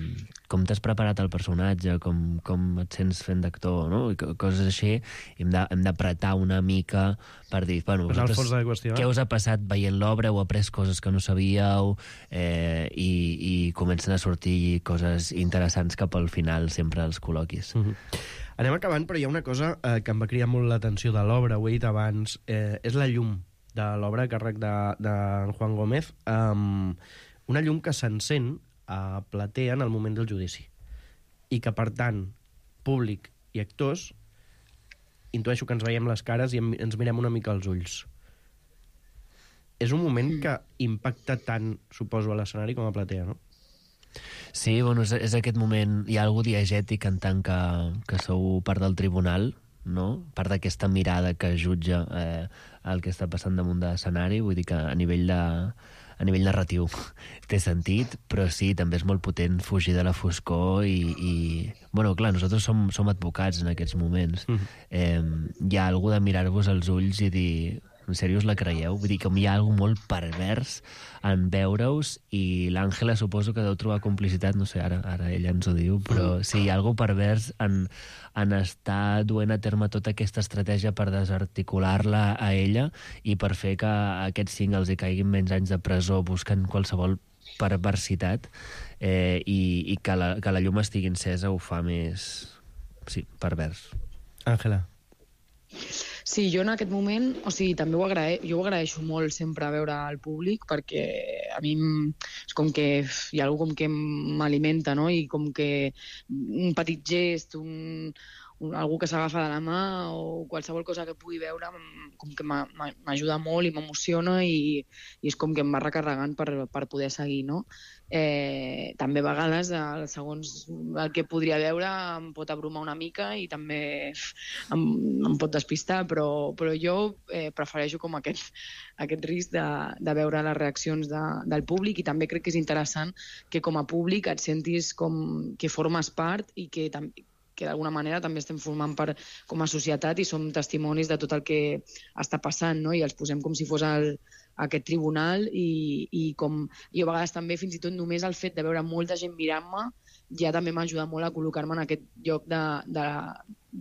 com t'has preparat el personatge, com, com et sents fent d'actor, no? I coses així. I hem d'apretar una mica per dir, bueno, vosaltres, qüestió, què us ha passat veient l'obra? Heu après coses que no sabíeu eh, i, i comencen a sortir coses interessants cap al final, sempre als col·loquis. Mm-hmm. Anem acabant, però hi ha una cosa eh, que em va cridar molt l'atenció de l'obra, ho he dit abans, eh, és la llum de l'obra a càrrec de, de Juan Gómez, um, una llum que s'encén a platea en el moment del judici i que, per tant, públic i actors intueixo que ens veiem les cares i ens mirem una mica als ulls. És un moment que impacta tant, suposo, a l'escenari com a platea, no? Sí, bueno, és, és aquest moment, hi ha algú diegètic en tant que, que sou part del tribunal, no? Part d'aquesta mirada que jutja eh, el que està passant damunt de l'escenari, vull dir que a nivell de a nivell narratiu té sentit, però sí, també és molt potent fugir de la foscor i, i... Bueno, clar, nosaltres som, som advocats en aquests moments. Mm. Eh, hi ha algú de mirar-vos als ulls i dir... En sèrio us la creieu? Vull dir que hi ha alguna molt pervers en veure-us i l'Àngela suposo que deu trobar complicitat, no sé, ara, ara ella ens ho diu, però sí, hi ha alguna pervers en, en estar duent a terme tota aquesta estratègia per desarticular-la a ella i per fer que aquests cinc els hi caiguin menys anys de presó buscant qualsevol perversitat eh, i, i que, la, que la llum estigui encesa ho fa més... sí, pervers. Àngela. Sí, jo en aquest moment, o sigui, també ho agrae, jo ho agraeixo molt sempre a veure al públic perquè a mi és com que hi ha alguna com que m'alimenta, no? I com que un petit gest, un, un, algú que s'agafa de la mà o qualsevol cosa que pugui veure com que m'ajuda molt i m'emociona i, i és com que em va recarregant per, per poder seguir, no? Eh, també a vegades, segons el que podria veure, em pot abrumar una mica i també em, em pot despistar, però, però jo eh, prefereixo com aquest, aquest risc de, de veure les reaccions de, del públic i també crec que és interessant que com a públic et sentis com que formes part i que també que d'alguna manera també estem formant part com a societat i som testimonis de tot el que està passant, no? I els posem com si fos el, aquest tribunal i, i com i a vegades també fins i tot només el fet de veure molta gent mirant-me ja també m'ajuda molt a col·locar-me en aquest lloc de, de,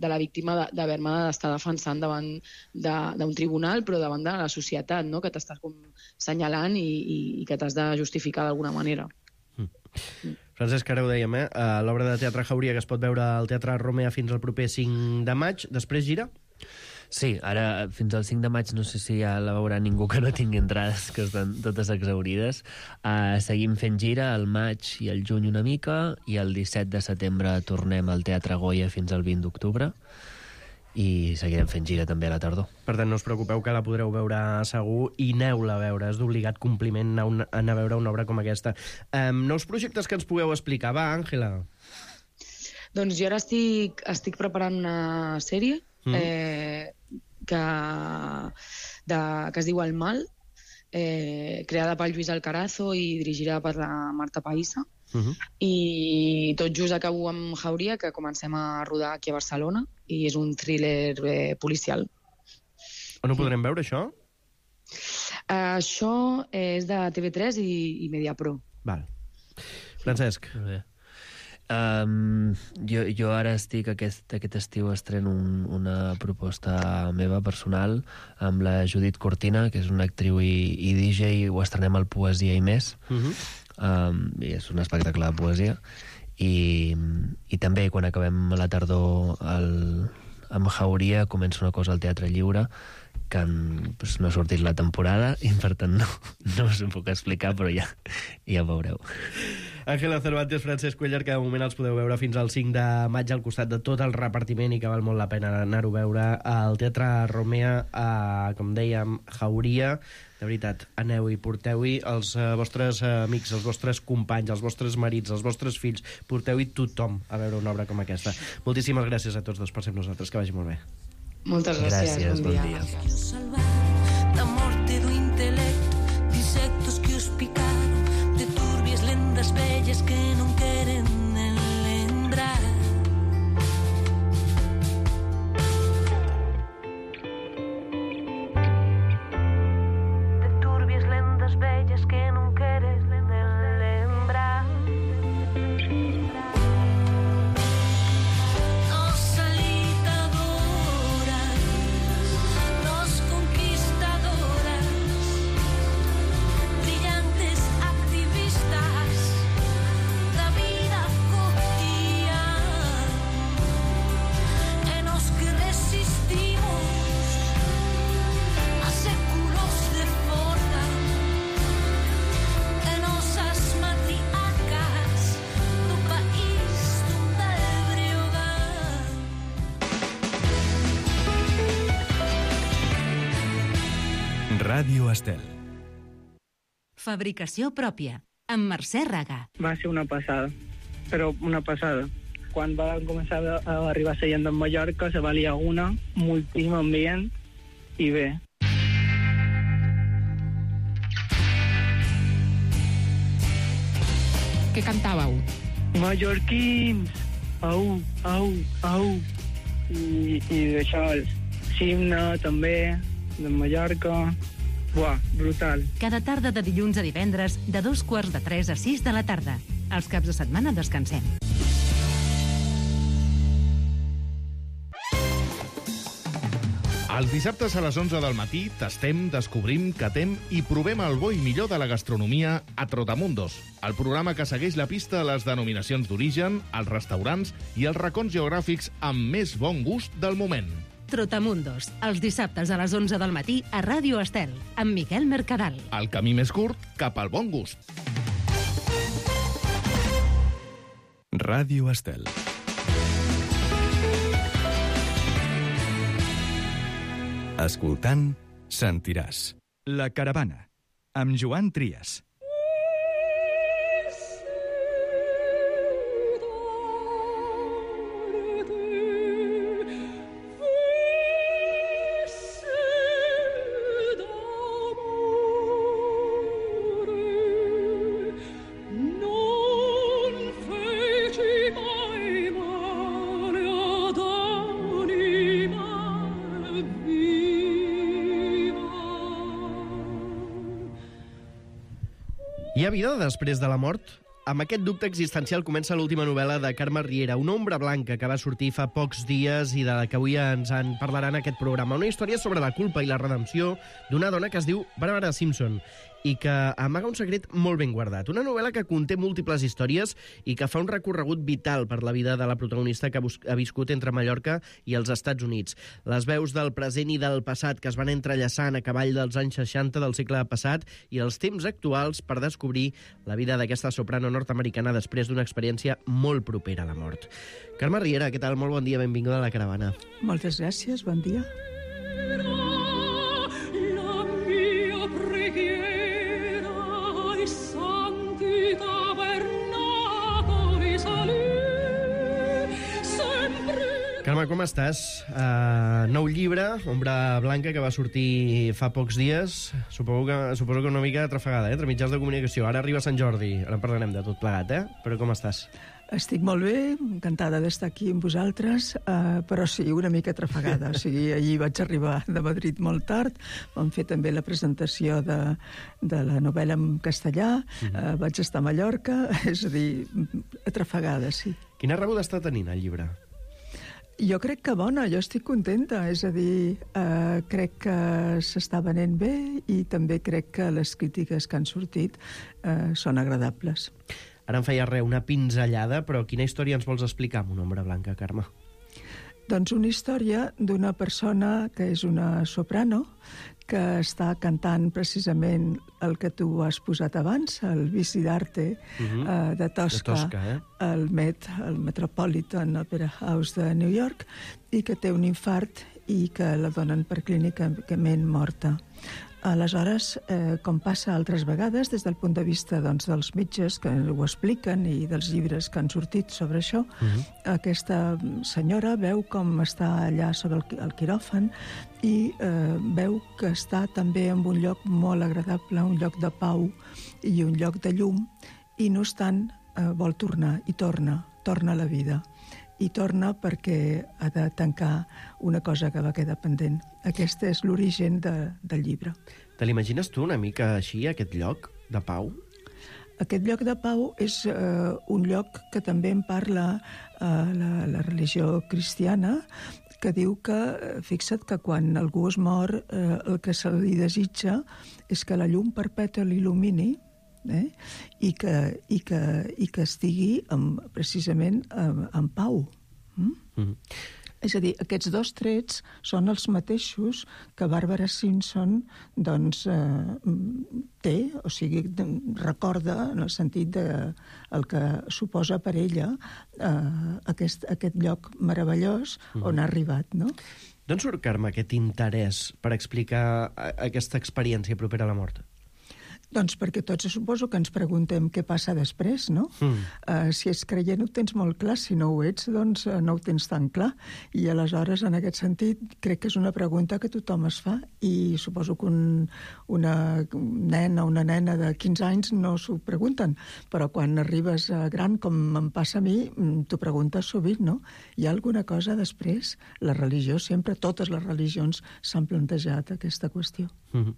de la víctima d'haver-me d'estar defensant davant d'un tribunal però davant de la societat, no? Que t'estàs com senyalant i, i, i que t'has de justificar d'alguna manera. Mm. Mm. Francesc, ara ho dèiem, eh? L'obra de teatre Jauria que es pot veure al Teatre Romea fins al proper cinc de maig, després gira? Sí, ara fins al cinc de maig no sé si ja la veurà ningú que no tingui entrades, que estan totes exaurides. Uh, seguim fent gira al maig i al juny una mica, i el disset de setembre tornem al Teatre Goya fins al vint d'octubre, i seguirem fent gira també a la tardor. Per tant, no us preocupeu que la podreu veure segur i aneu-la a veure. És d'obligat compliment anar, una, anar a veure una obra com aquesta. Um, nous projectes que ens pugueu explicar. Va, Àngela. Doncs jo ara estic, estic preparant una sèrie. Mm. Eh, que, de, que es diu El Mal, eh, creada per Lluís Alcarazo i dirigida per la Marta Païssa. Uh-huh. I tot just acabo amb Jauria, que comencem a rodar aquí a Barcelona, i és un thriller eh, policial. On ho podrem veure, això? Uh, això és de T V tres i, i Mediapro. Val. Francesc. Bé. Um, jo, jo ara estic, aquest, aquest estiu estreno un, una proposta meva personal amb la Judit Cortina, que és una actriu i, i D J, i ho estrenem al Poesia i Més. Uh-huh. um, i és un espectacle de poesia. I, i també quan acabem a la tardor el, amb Jauria comença una cosa al Teatre Lliure que pues, no ha sortit la temporada i per tant no, no us ho puc explicar, però ja, ja ho veureu. Ángela Cervantes, Francesc Cuéllar, que de moment els podeu veure fins al cinc de maig al costat de tot el repartiment i que val molt la pena anar-ho a veure al Teatre Romea, a, com dèiem, Jauria. De veritat, aneu-hi, porteu-hi els uh, vostres uh, amics, els vostres companys, els vostres marits, els vostres fills, porteu-hi tothom a veure una obra com aquesta. Moltíssimes gràcies a tots dos per ser amb nosaltres, que vagi molt bé. Moltes gràcies, gràcies bon, bon dia. dia. Da morte do intelecto, de insectos que os picaron, de turbias lendas bellas que non queren lembrar. De turbias lendas bellas que non queres lembrar. Nos alitadoras, nos conquistadoras, brillantes activistas da vida cotidiana, e nos que resistimos a séculos de forja, e nosas matriarcas do país donde breogar. Ràdio Estel. Fabricació pròpia, amb Mercè Raga. Va ser una passada, però una passada. Quan va començar a arribar la gent de Mallorca, se valia una, moltíssim ambient, i bé. Què cantàveu? Mallorquins, au, au, au. I, i d'això, Simna, també, de Mallorca. Buah, brutal. Cada tarda de dilluns a divendres, de dos quarts de tres a sis de la tarda. Els caps de setmana descansem. Els dissabtes a les onze del matí tastem, descobrim, catem i provem el bo i millor de la gastronomia a Trotamundos, el programa que segueix la pista a les denominacions d'origen, els restaurants i els racons geogràfics amb més bon gust del moment. Trotamundos, els dissabtes a les onze del matí a Ràdio Estel, amb Miquel Mercadal. El camí més curt cap al bon gust. Ràdio Estel. Escoltant, sentiràs. La Caravana, amb Joan Trias. Hi ha vida després de la mort? Amb aquest dubte existencial comença l'última novel·la de Carme Riera, Una ombra blanca, que va sortir fa pocs dies i de la que avui ens en parlaran en aquest programa. Una història sobre la culpa i la redempció d'una dona que es diu Barbara Simpson i que amaga un secret molt ben guardat. Una novel·la que conté múltiples històries i que fa un recorregut vital per la vida de la protagonista que ha viscut entre Mallorca i els Estats Units. Les veus del present i del passat que es van entrellaçant a cavall dels anys seixanta del segle passat i els temps actuals per descobrir la vida d'aquesta soprano nord-americana després d'una experiència molt propera a la mort. Carme Riera, què tal? Molt bon dia, benvinguda a La Caravana. Moltes gràcies, bon dia. Carme, com estàs? Uh, nou llibre, Ombra Blanca, que va sortir fa pocs dies. Suposo que, suposo que una mica trafegada, eh? Entre mitjans de comunicació. Ara arriba Sant Jordi, ara en parlarem de tot plegat, eh? Però com estàs? Estic molt bé, encantada d'estar aquí amb vosaltres, uh, però sí, una mica trafegada. O sigui, ahir vaig arribar de Madrid molt tard, vam fer també la presentació de, de la novel·la en castellà, uh, vaig estar a Mallorca, és a dir, trafegada, sí. Quina rebuda està tenint el llibre? Jo crec que bona, jo estic contenta, és a dir, eh, crec que s'està venent bé i també crec que les crítiques que han sortit eh, són agradables. Ara em feia res, una pinzellada, però quina història ens vols explicar amb una Ombra Blanca, Carme? Doncs una història d'una persona que és una soprano, que està cantant precisament el que tu has posat abans, el Vici d'Arte Mhm. eh, de Tosca, De Tosca, eh? el Met, el Metropolitan Opera House de New York, i que té un infart i que la donen per clínicament morta. Aleshores, eh, com passa altres vegades, des del punt de vista doncs, dels metges que ho expliquen i dels llibres que han sortit sobre això, Mhm. aquesta senyora veu com està allà sobre el, el quiròfan i eh, veu que està també en un lloc molt agradable, un lloc de pau i un lloc de llum, i no obstant eh, vol tornar, i torna, torna a la vida. I torna perquè ha de tancar una cosa que va quedar pendent. Aquest és l'origen de, del llibre. Te l'imagines tu una mica així, aquest lloc de pau? Aquest lloc de pau és eh, un lloc que també en parla eh, la, la religió cristiana, que diu que, eh, fixa't que quan algú es mor, eh, el que se li desitja és que la llum perpètua l'il·lumini, eh? I, que, i, que, i que estigui amb, precisament en, en pau. Mm? Mm. És a dir, aquests dos trets són els mateixos que Barbara Simpson doncs, eh, té, o sigui, recorda en el sentit de el que suposa per ella eh, aquest, aquest lloc meravellós mm. on ha arribat, no? D'on surt, Carme, aquest interès per explicar aquesta experiència propera a la mort? Doncs perquè tots suposo que ens preguntem què passa després, no? Mm. Uh, si és creient ho tens molt clar, si no ho ets, doncs uh, no ho tens tan clar. I aleshores, en aquest sentit, crec que és una pregunta que tothom es fa i suposo que un, una nena o una nena de quinze anys no s'ho pregunten, però quan arribes a gran, com em passa a mi, t'ho preguntes sovint, no? Hi ha alguna cosa després? La religió sempre, totes les religions s'han plantejat aquesta qüestió. Mm-hmm.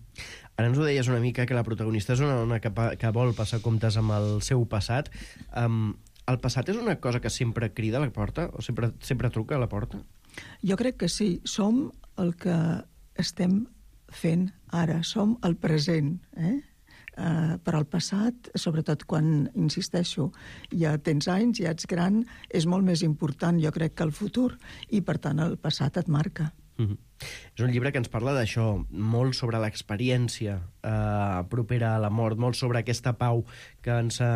Ara ens ho deies una mica, que la protagonista és una dona que, que vol passar comptes amb el seu passat. Um, el passat és una cosa que sempre crida a la porta? O sempre, sempre truca a la porta? Jo crec que sí. Som el que estem fent ara. Som el present, eh? Uh, però el passat, sobretot quan, insisteixo, ja tens anys, ja ets gran, és molt més important, jo crec, que el futur, i per tant el passat et marca. Mm-hmm. És un llibre que ens parla d'això, molt sobre l'experiència eh, propera a la mort, molt sobre aquesta pau que ens eh,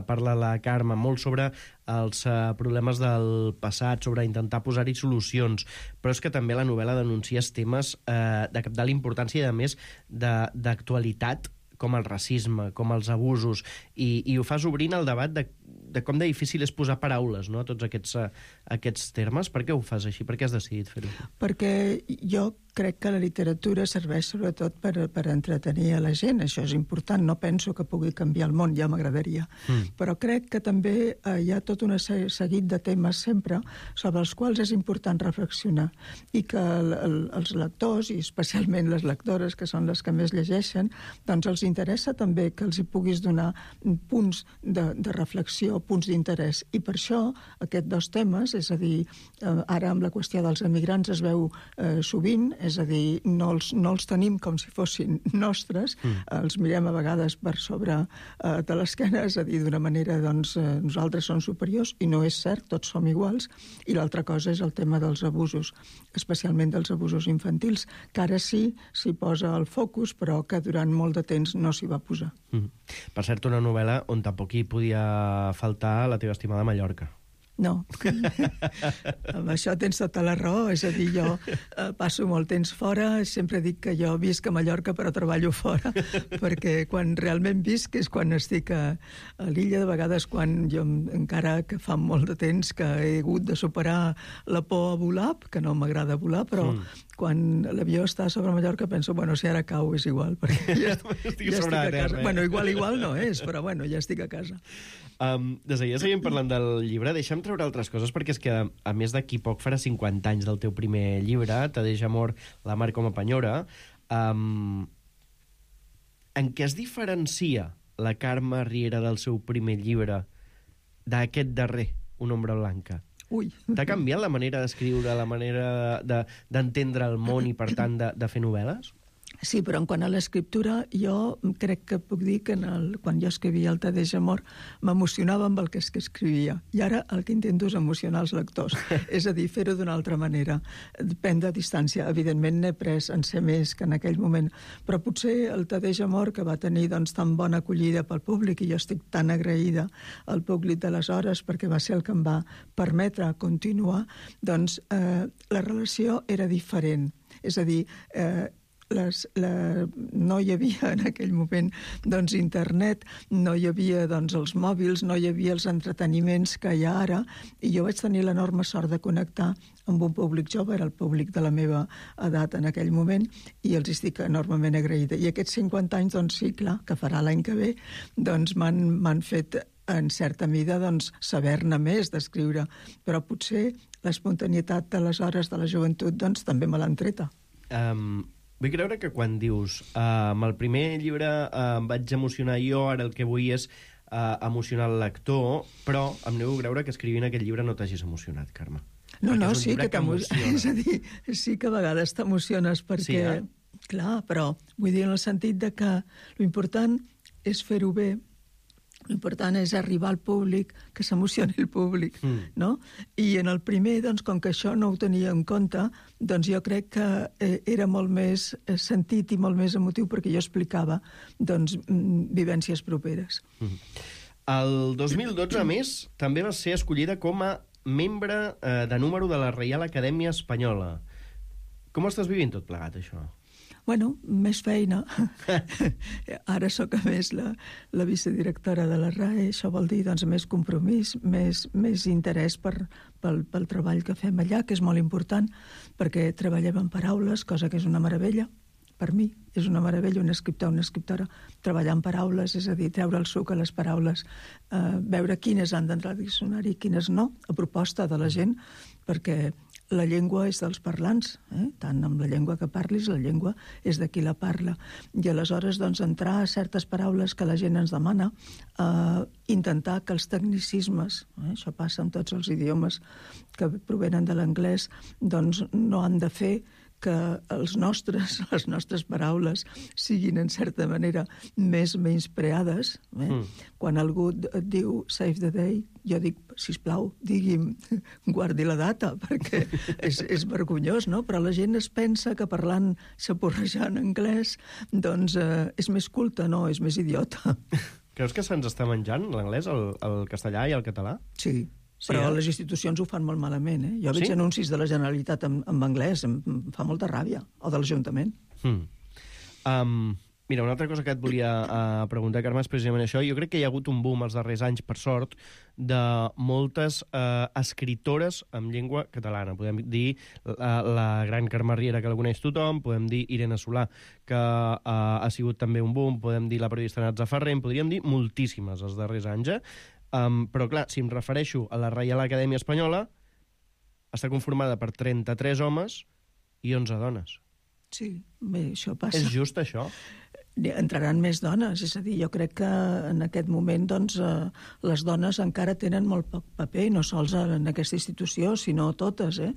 parla la Carme, molt sobre els eh, problemes del passat, sobre intentar posar-hi solucions, però és que també la novel·la denuncia temes eh, de cabdal importància i, a més, d'actualitat, com el racisme, com els abusos, i, i ho fas obrint el debat de, de com de difícil és posar paraules, no?, a tots aquests, uh, aquests termes. Per què ho fas així? Per què has decidit fer-ho? Perquè jo crec que la literatura serveix sobretot per, per entretenir a la gent. Això és important. No penso que pugui canviar el món, ja m'agradaria. Mm. Però crec que també eh, hi ha tot un seguit de temes sempre sobre els quals és important reflexionar, i que el, el, els lectors, i especialment les lectores, que són les que més llegeixen, doncs els interessa també que els hi puguis donar punts de, de reflexió, punts d'interès. I per això aquests dos temes, és a dir, eh, ara amb la qüestió dels emigrants es veu eh, sovint, és a dir, no els, no els tenim com si fossin nostres, mm. els mirem a vegades per sobre eh, de l'esquena, és a dir, d'una manera, doncs, eh, nosaltres som superiors, i no és cert, tots som iguals, i l'altra cosa és el tema dels abusos, especialment dels abusos infantils, que ara sí s'hi posa el focus, però que durant molt de temps no s'hi va posar. Mm. Per cert, una novel·la on tampoc hi podia faltar la teva estimada Mallorca. No. Amb això tens tota la raó. És a dir, jo eh, passo molt temps fora, sempre dic que jo visc a Mallorca però treballo fora, perquè quan realment visc és quan estic a, a l'illa, de vegades quan jo encara que fa molt de temps que he hagut de superar la por a volar, que no m'agrada volar, però mm. quan l'avió està sobre Mallorca penso, bueno, si ara cau és igual, perquè ja, ja estic a casa. Bueno, igual, igual no és, però bueno, ja estic a casa. Um, des de ja seguim parlant del llibre. Deixa'm treure altres coses, perquè és que, a més d'aquí poc, farà cinquanta anys del teu primer llibre, Te deixa amor, la mar com a penyora. Um, en què es diferencia la Carme Riera del seu primer llibre d'aquest darrer, Una ombra blanca? Ui. T'ha canviat la manera d'escriure, la manera d'entendre de, el món i, per tant, de, de fer novel·les? Sí, però en quant a l'escriptura, jo crec que puc dir que en el, quan jo escrivia el Te deixa amor m'emocionava amb el que escrivia. I ara el que intento és emocionar els lectors. És a dir, fer-ho d'una altra manera. Prendre distància. Evidentment n'he pres en ser més que en aquell moment. Però potser el Te deixa amor, que va tenir doncs, tan bona acollida pel públic, i jo estic tan agraïda al públic d'aleshores perquè va ser el que em va permetre continuar, doncs eh, la relació era diferent. És a dir, eh, Les, la, no hi havia en aquell moment doncs, internet, no hi havia doncs, els mòbils, no hi havia els entreteniments que hi ha ara, i jo vaig tenir l'enorme sort de connectar amb un públic jove, era el públic de la meva edat en aquell moment, i els estic enormement agraïda. I aquests cinquanta anys, doncs sí, clar, que farà l'any que ve, doncs m'han fet en certa mida doncs, saber-ne més d'escriure, però potser l'espontanietat de les hores de la joventut doncs, també me l'han treta. Um... Vull creure que quan dius uh, amb el primer llibre uh, em vaig emocionar jo, ara el que vull és uh, emocionar el lector, però em nego a creure que escrivint aquest llibre no t'hagis emocionat, Carme. No, no, sí que, que t'emociona. És a dir, sí que a vegades t'emociones perquè... Sí, eh? Clar, però vull dir en el sentit de que l'important és fer-ho bé, l'important és arribar al públic, que s'emocioni el públic, mm. no? I en el primer, doncs, com que això no ho tenia en compte, doncs jo crec que eh, era molt més sentit i molt més emotiu perquè jo explicava, doncs, vivències properes. Mm. El dos mil dotze, a més, també va ser escollida com a membre eh, de número de la Reial Acadèmia Espanyola. Com estàs vivint tot plegat, això? Bueno, més feina. Ara sóc, a més, la, la vicedirectora de la R A E. Això vol dir doncs, més compromís, més, més interès per, pel, pel treball que fem allà, que és molt important, perquè treballem en paraules, cosa que és una meravella. Per mi és una meravella, un escriptor, una escriptora, treballar en paraules, és a dir, treure el suc a les paraules, eh, veure quines han d'entrar al diccionari i quines no, a proposta de la gent, perquè la llengua és dels parlants, eh? Tant amb la llengua que parlis, la llengua és de qui la parla. I aleshores, doncs, entrar a certes paraules que la gent ens demana, eh, intentar que els tecnicismes, eh? Això passa amb tots els idiomes que provenen de l'anglès, doncs no han de fer que els nostres, les nostres paraules siguin, en certa manera, més menyspreades. Eh? Mm. Quan algú et diu save the day, jo dic, sisplau, digui'm, guardi la data, perquè és, és vergonyós, no? Però la gent es pensa que parlant, saporrejant anglès, doncs eh, és més culta, no? És més idiota. Creus que se'ns està menjant l'anglès, el, el castellà i el català? Sí. Sí, però eh? Les institucions ho fan molt malament, eh? Jo veig sí? anuncis de la Generalitat en, en anglès, em, em fa molta ràbia, o de l'Ajuntament. Hmm. Um, mira, una altra cosa que et volia uh, preguntar, Carme, és precisament això. Jo crec que hi ha hagut un boom els darrers anys, per sort, de moltes uh, escritores en llengua catalana. Podem dir la, la gran Carme Riera, que la coneix tothom, podem dir Irene Solà, que uh, ha sigut també un boom, podem dir la periodista Natza Ferrer, podríem dir moltíssimes els darrers anys, eh? Um, però, clar, si em refereixo a la Reial Acadèmia Espanyola, està conformada per trenta-tres homes i onze dones. Sí, bé, això passa. És just això? Entraran més dones, és a dir, jo crec que en aquest moment doncs, eh, les dones encara tenen molt poc paper, no sols en aquesta institució, sinó totes, eh?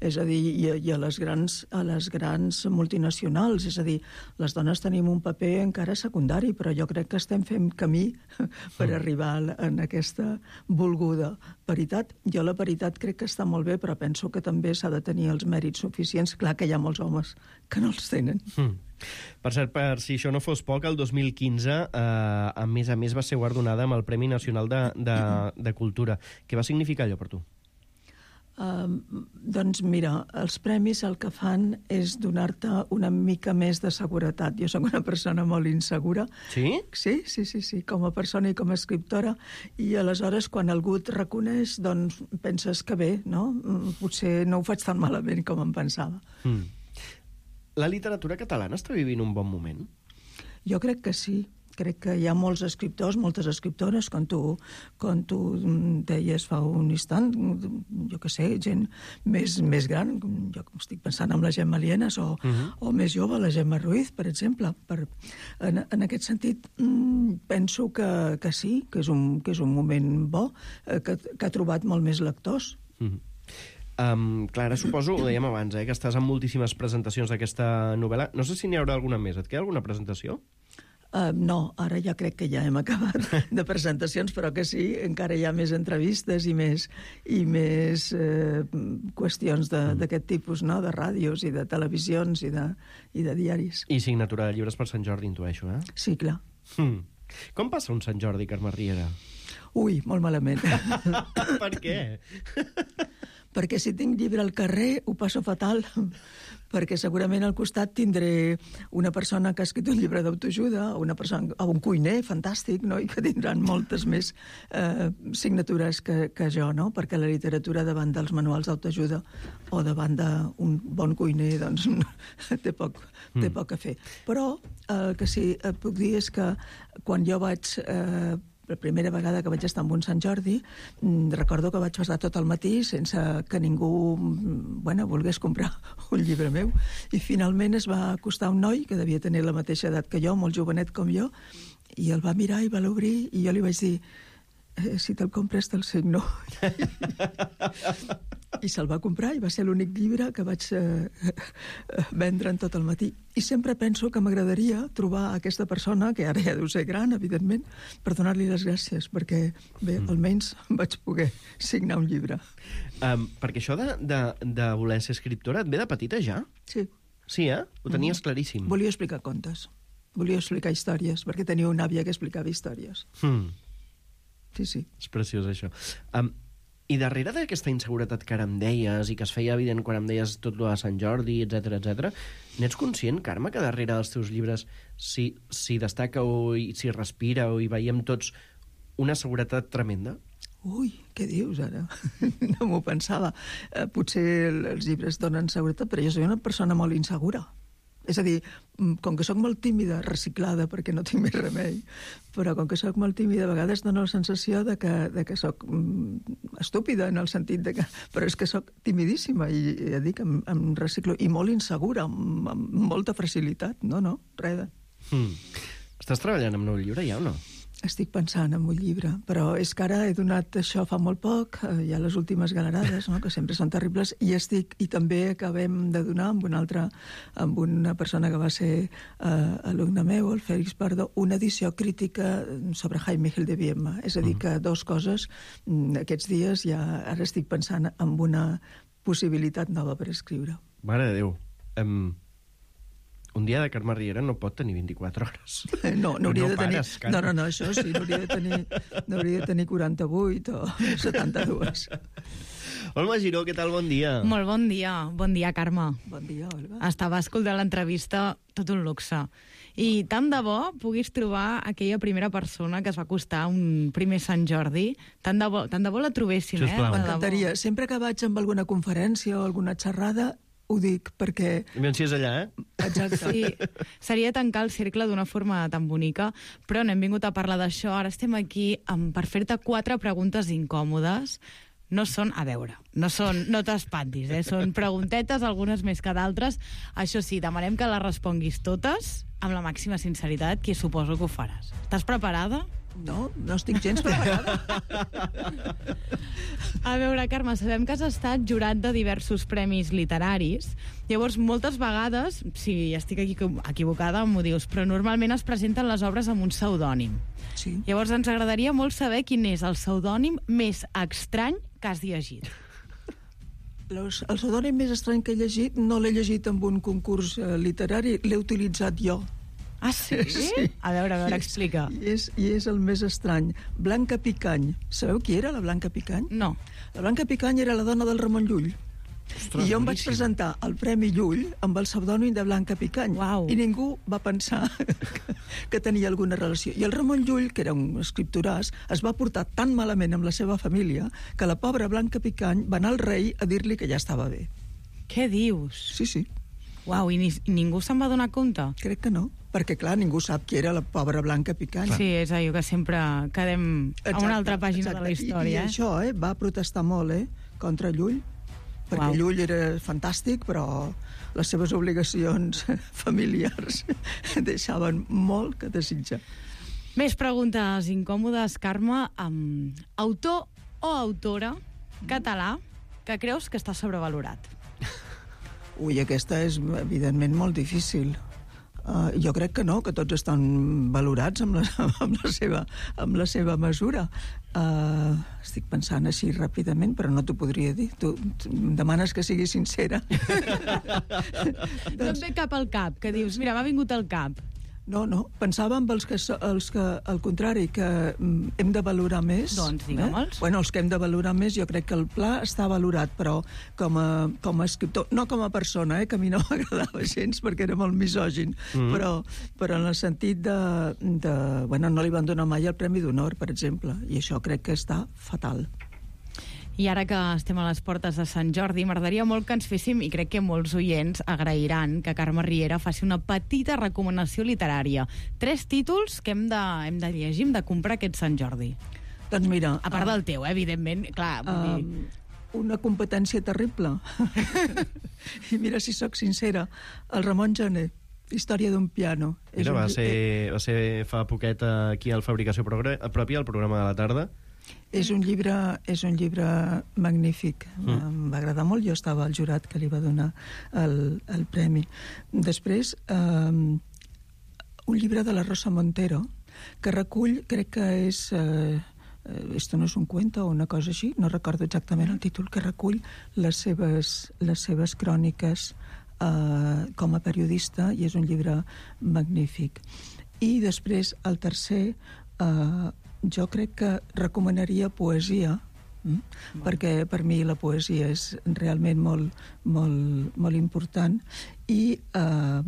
És a dir, i, i a, les grans, a les grans multinacionals, és a dir, les dones tenim un paper encara secundari, però jo crec que estem fent camí per arribar en aquesta volguda paritat. Jo la paritat crec que està molt bé, però penso que també s'ha de tenir els mèrits suficients. Clar que hi ha molts homes que no els tenen. Mm. Per cert, per si això no fos poc, el dos mil quinze, eh, a més a més, va ser guardonada amb el Premi Nacional de, de, de Cultura. Què va significar allò per tu? Uh, doncs mira, els premis el que fan és donar-te una mica més de seguretat. Jo soc una persona molt insegura. Sí? Sí, sí, sí, sí, com a persona i com a escriptora. I aleshores, quan algú et reconeix, doncs penses que bé, no? Potser no ho faig tan malament com em pensava. Mm. La literatura catalana està vivint un bon moment? Jo crec que sí. Crec que hi ha molts escriptors, moltes escriptores, com tu, com tu deies fa un instant, jo que sé, gent més, més gran, jo estic pensant en la Gemma Lienas, o, uh-huh. o més jove, la Gemma Ruiz, per exemple. Per, en, en aquest sentit, penso que, que sí, que és, un, que és un moment bo, que, que ha trobat molt més lectors. Uh-huh. Um, Clara, suposo, ho dèiem abans, eh, que estàs en moltíssimes presentacions d'aquesta novel·la. No sé si n'hi haurà alguna més. Et queda alguna presentació? Uh, no, ara ja crec que ja hem acabat de presentacions, però que sí, encara hi ha més entrevistes i més, i més eh, qüestions d'aquest tipus, no?, de ràdios i de televisions i de, i de diaris. I signatura de llibres per Sant Jordi, intueixo, eh? Sí, clar. Hmm. Com passa un Sant Jordi, Carme Riera? Ui, molt malament. Per què? Perquè si tinc llibre al carrer ho passo fatal, perquè segurament al costat tindré una persona que ha escrit un llibre d'autoajuda, una persona, o un cuiner fantàstic, no?, i que tindran moltes més eh, signatures que, que jo, no?, perquè la literatura davant dels manuals d'autoajuda o davant d'un bon cuiner, doncs, té poc, té poc a fer. Però el que sí et puc dir és que quan jo vaig... Eh, la primera vegada que vaig estar en un Sant Jordi, recordo que vaig passar tot el matí sense que ningú, bueno, volgués comprar un llibre meu. I finalment es va acostar un noi que devia tenir la mateixa edat que jo, molt jovenet com jo, i el va mirar i va l'obrir, i jo li vaig dir, eh, si te'l compres te'l signo. I se'l va comprar i va ser l'únic llibre que vaig eh, vendre en tot el matí. I sempre penso que m'agradaria trobar aquesta persona, que ara ja deu ser gran, evidentment, per donar-li les gràcies, perquè, bé, mm. almenys vaig poder signar un llibre. Um, perquè això de, de, de voler ser escriptora et ve de petita ja? Sí. Sí, eh? Ho tenies mm. claríssim. Volia explicar contes. Volia explicar històries, perquè tenia una àvia que explicava històries. Mm. Sí, sí. És preciós, això. Um, I darrere d'aquesta inseguretat que ara em deies i que es feia evident quan em deies tot lo de Sant Jordi, etcètera, etcètera, n'ets conscient, Carme, que darrere dels teus llibres s'hi si destaca o s'hi respira o hi veiem tots una seguretat tremenda? Ui, què dius ara? No m'ho pensava. Eh, potser els llibres donen seguretat, però jo soc una persona molt insegura. És a dir, com que sóc molt tímida, reciclada, perquè no tinc més remei, però com que sóc molt tímida, a vegades dono la sensació de que, de que sóc mm, estúpida, en el sentit de que... Però és que sóc timidíssima, i ja dic, em, em reciclo, i molt insegura, amb, amb molta facilitat. No, no, res de... Hmm. Estàs treballant amb nou llibre ja o no? Estic pensant en un llibre, però és que ara he donat això fa molt poc, eh, hi ha les últimes galerades, no?, que sempre són terribles, i estic, i també acabem de donar amb una altra, amb una persona que va ser eh, alumne meu, el Félix Pardo, una edició crítica sobre Jaime Gil de Biedma. És a dir, que dos coses, aquests dies ja ara estic pensant en una possibilitat nova per escriure. Mare de Déu. Um... Un dia de Carme Riera no pot tenir vint-i-quatre hores. No, n'hauria no de tenir... Pares, Carme. no, no, no, això sí, n'hauria de tenir, n'hauria de tenir quaranta-vuit o setanta-dos. Olga Giró, què tal? Bon dia. Molt bon dia. Bon dia, Carme. Bon dia, Olga. Estava escoltant l'entrevista, tot un luxe. I tant de bo puguis trobar aquella primera persona que es va acostar un primer Sant Jordi. Tant de bo, tant de bo la trobéssim, eh? M'encantaria. Sempre que vaig amb alguna conferència o alguna xerrada, ho dic perquè... Ben si és allà, eh? Exacte. Sí, seria tancar el cercle d'una forma tan bonica, però no hem vingut a parlar d'això. Ara estem aquí amb, per fer-te quatre preguntes incòmodes. No són, a veure, no són, no t'espantis, eh? Són preguntetes, algunes més que d'altres. Això sí, demanem que les responguis totes amb la màxima sinceritat, que suposo que ho faràs. Estàs preparada? No, no estic gens preparada. A veure, Carme, sabem que has estat jurat de diversos premis literaris. Llavors, moltes vegades, si estic aquí equivocada, m'ho dius, però normalment es presenten les obres amb un pseudònim. Sí. Llavors, ens agradaria molt saber quin és el pseudònim més estrany que has llegit. Los, el pseudònim més estrany que he llegit no l'he llegit en un concurs eh, literari, l'he utilitzat jo. Ah, sí? Sí. A veure, a veure, explica. I és, I és el més estrany. Blanca Picany. Sabeu qui era la Blanca Picany? No. La Blanca Picany era la dona del Ramon Llull. Ostres, I jo em vaig boníssim. presentar al Premi Llull amb el pseudònim de Blanca Picany. Uau. I ningú va pensar que, que tenia alguna relació. I el Ramon Llull, que era un escriptoràs, es va portar tan malament amb la seva família que la pobra Blanca Picany va anar al rei a dir-li que ja estava bé. Què dius? Sí, sí. Uau, i, ni, i ningú se'n va donar compte? Crec que no, perquè, clar, ningú sap qui era la pobra Blanca Picany. Sí, és allò que sempre quedem a una altra pàgina exacte. de la història. I, i això, eh, va protestar molt, eh, contra Llull, perquè Uau. Llull era fantàstic, però les seves obligacions familiars deixaven molt que desitjar. Més preguntes incòmodes, Carme. Um, autor o autora català que creus que està sobrevalorat? Ui, aquesta és, evidentment, molt difícil. Uh, jo crec que no, que tots estan valorats amb la, amb la, seva, amb la seva mesura. Uh, estic pensant així ràpidament, però no t'ho podria dir. Tu, tu em demanes que sigui sincera. No et ve cap al cap, que dius, mira, m'ha vingut al cap. No, no, pensava en els que, els que al contrari, que mm, hem de valorar més. Doncs digue'm-els. Eh? Bueno, els que hem de valorar més, jo crec que el Pla està valorat, però com a, com a escriptor, no com a persona, eh, que a mi no m'agradava gens perquè era molt misògin, mm. però, però en el sentit de, de... Bueno, no li van donar mai el Premi d'Honor, per exemple, i això crec que està fatal. I ara que estem a les portes de Sant Jordi, m'agradaria molt que ens féssim, i crec que molts oients agrairan que Carme Riera faci una petita recomanació literària. Tres títols que hem de, hem de llegir, hem de comprar aquest Sant Jordi. Doncs mira... A part del teu, eh, evidentment, clar, vull uh, dir... Una competència terrible. I mira, si sóc sincera, el Ramon Gené, Història d'un piano. Mira, va ser, va ser fa poquet aquí al Fabricació Pròpia, al programa de la tarda. És un llibre, és un llibre magnífic. Mm. Em va agradar molt. Jo estava al jurat que li va donar el, el premi. Després, um, un llibre de la Rosa Montero, que recull, crec que és... Uh, esto no és un cuento o una cosa així, no recordo exactament el títol, que recull les seves, les seves cròniques uh, com a periodista, i és un llibre magnífic. I després, el tercer... Uh, jo crec que recomanaria poesia, mm? Bueno. perquè per mi la poesia és realment molt, molt, molt important, i eh,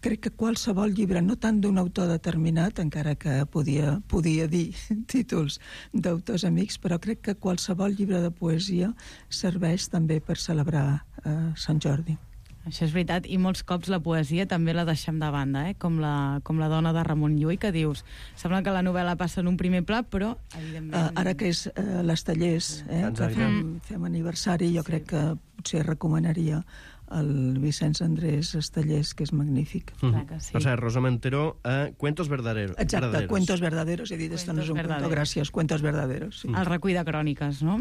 crec que qualsevol llibre, no tant d'un autor determinat, encara que podia, podia dir títols d'autors amics, però crec que qualsevol llibre de poesia serveix també per celebrar eh, Sant Jordi. Això és veritat, i molts cops la poesia també la deixem de banda, eh? com, la, com la dona de Ramon Llull, que dius, sembla que la novel·la passa en un primer pla, però evidentment... Uh, ara que és uh, les Tallers, eh, que fem, fem aniversari, jo sí. crec que potser recomanaria el Vicenç Andrés Estellers, que és magnífic. Clar que sí. O sigui, Rosa Montero, uh, Cuentos verdaderos. Exacte, verdaderos. Cuentos verdaderos, he dit, esto no és un cuento, gràcies, Cuentos verdaderos. Sí. El recull de cròniques, no?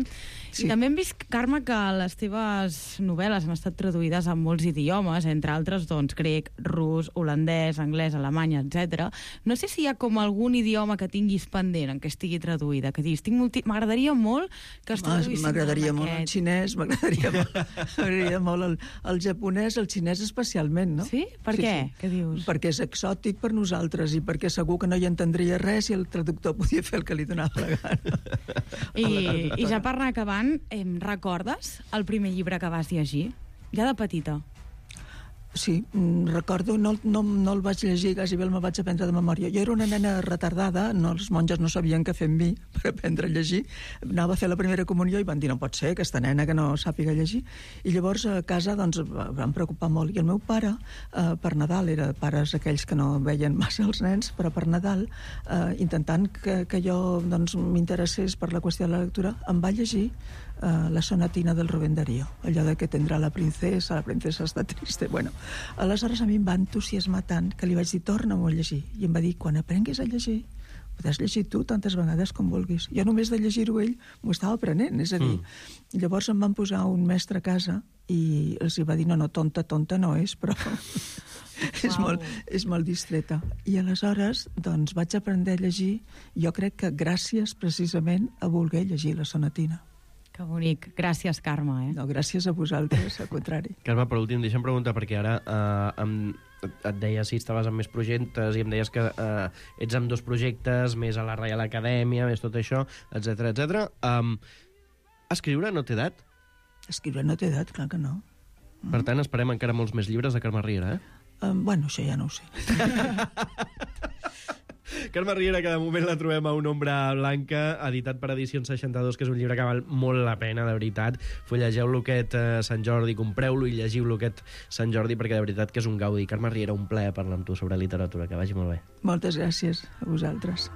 Sí. I també hem vist, Carme, que les teves novel·les han estat traduïdes en molts idiomes, entre altres, doncs, grec, rus, holandès, anglès, alemany, etcètera. No sé si hi ha com algun idioma que tinguis pendent en què estigui traduïda, que diguis, multi... m'agradaria molt que es traduïssin. M'agradaria molt el xinès, m'agradaria molt, molt el, el japonès, el xinès especialment, no? Sí? Per sí, què? Sí. Què dius? Perquè és exòtic per nosaltres i perquè segur que no hi entendria res i el traductor podia fer el que li donava la gana. I, i ja per anar acabant, eh, recordes el primer llibre que vas llegir? Ja de petita. Sí, recordo, no, no, no el vaig llegir, quasi bé me'l vaig aprendre de memòria. Jo era una nena retardada, no, els monges no sabien què fer amb mi per aprendre a llegir. Anava a fer la primera comunió i van dir, no pot ser, aquesta nena que no sàpiga llegir. I llavors a casa doncs, van preocupar molt. I el meu pare, eh, per Nadal, era pares aquells que no veien massa els nens, però per Nadal, eh, intentant que, que jo doncs, m'interessés per la qüestió de la lectura, em va llegir Uh, la sonatina del Rubén Darío, allò de que tindrà la princesa, la princesa està triste. Bueno, aleshores a mi em va entusiasmar tant que li vaig dir, torna-m'ho a llegir. I em va dir, quan aprenguis a llegir, podràs llegir tu tantes vegades com vulguis. Jo només de llegir-ho ell m'ho estava aprenent, és a dir, mm. llavors em van posar un mestre a casa i els hi va dir, no, no, tonta, tonta no és, però és, wow. molt, és molt distreta. I aleshores, doncs, vaig aprendre a llegir, jo crec que gràcies precisament a voler llegir la sonatina. Que Que bonic. Gràcies, Carme. Eh? No, gràcies a vosaltres, al contrari. Carme, per últim, deixa'm preguntar, perquè ara eh, em, et deia si estaves amb més projectes i em deies que eh, ets amb dos projectes, més a la Reial Acadèmia, més tot això, etcètera, etcètera. Um, escriure no té edat? Escriure no té edat, clar que no. Mm. Per tant, esperem encara molts més llibres de Carme Riera, eh? Um, bueno, això ja no ho sé. Carme Riera, que de moment la trobem a Una ombra blanca, editat per Edicions seixanta-dos, que és un llibre que val molt la pena, de veritat. Fullegeu-lo aquest eh, Sant Jordi, compreu-lo i llegiu-lo aquest Sant Jordi, perquè de veritat que és un gaudi. Carme Riera, un plaer parlar amb tu sobre literatura. Que vagi molt bé. Moltes gràcies a vosaltres.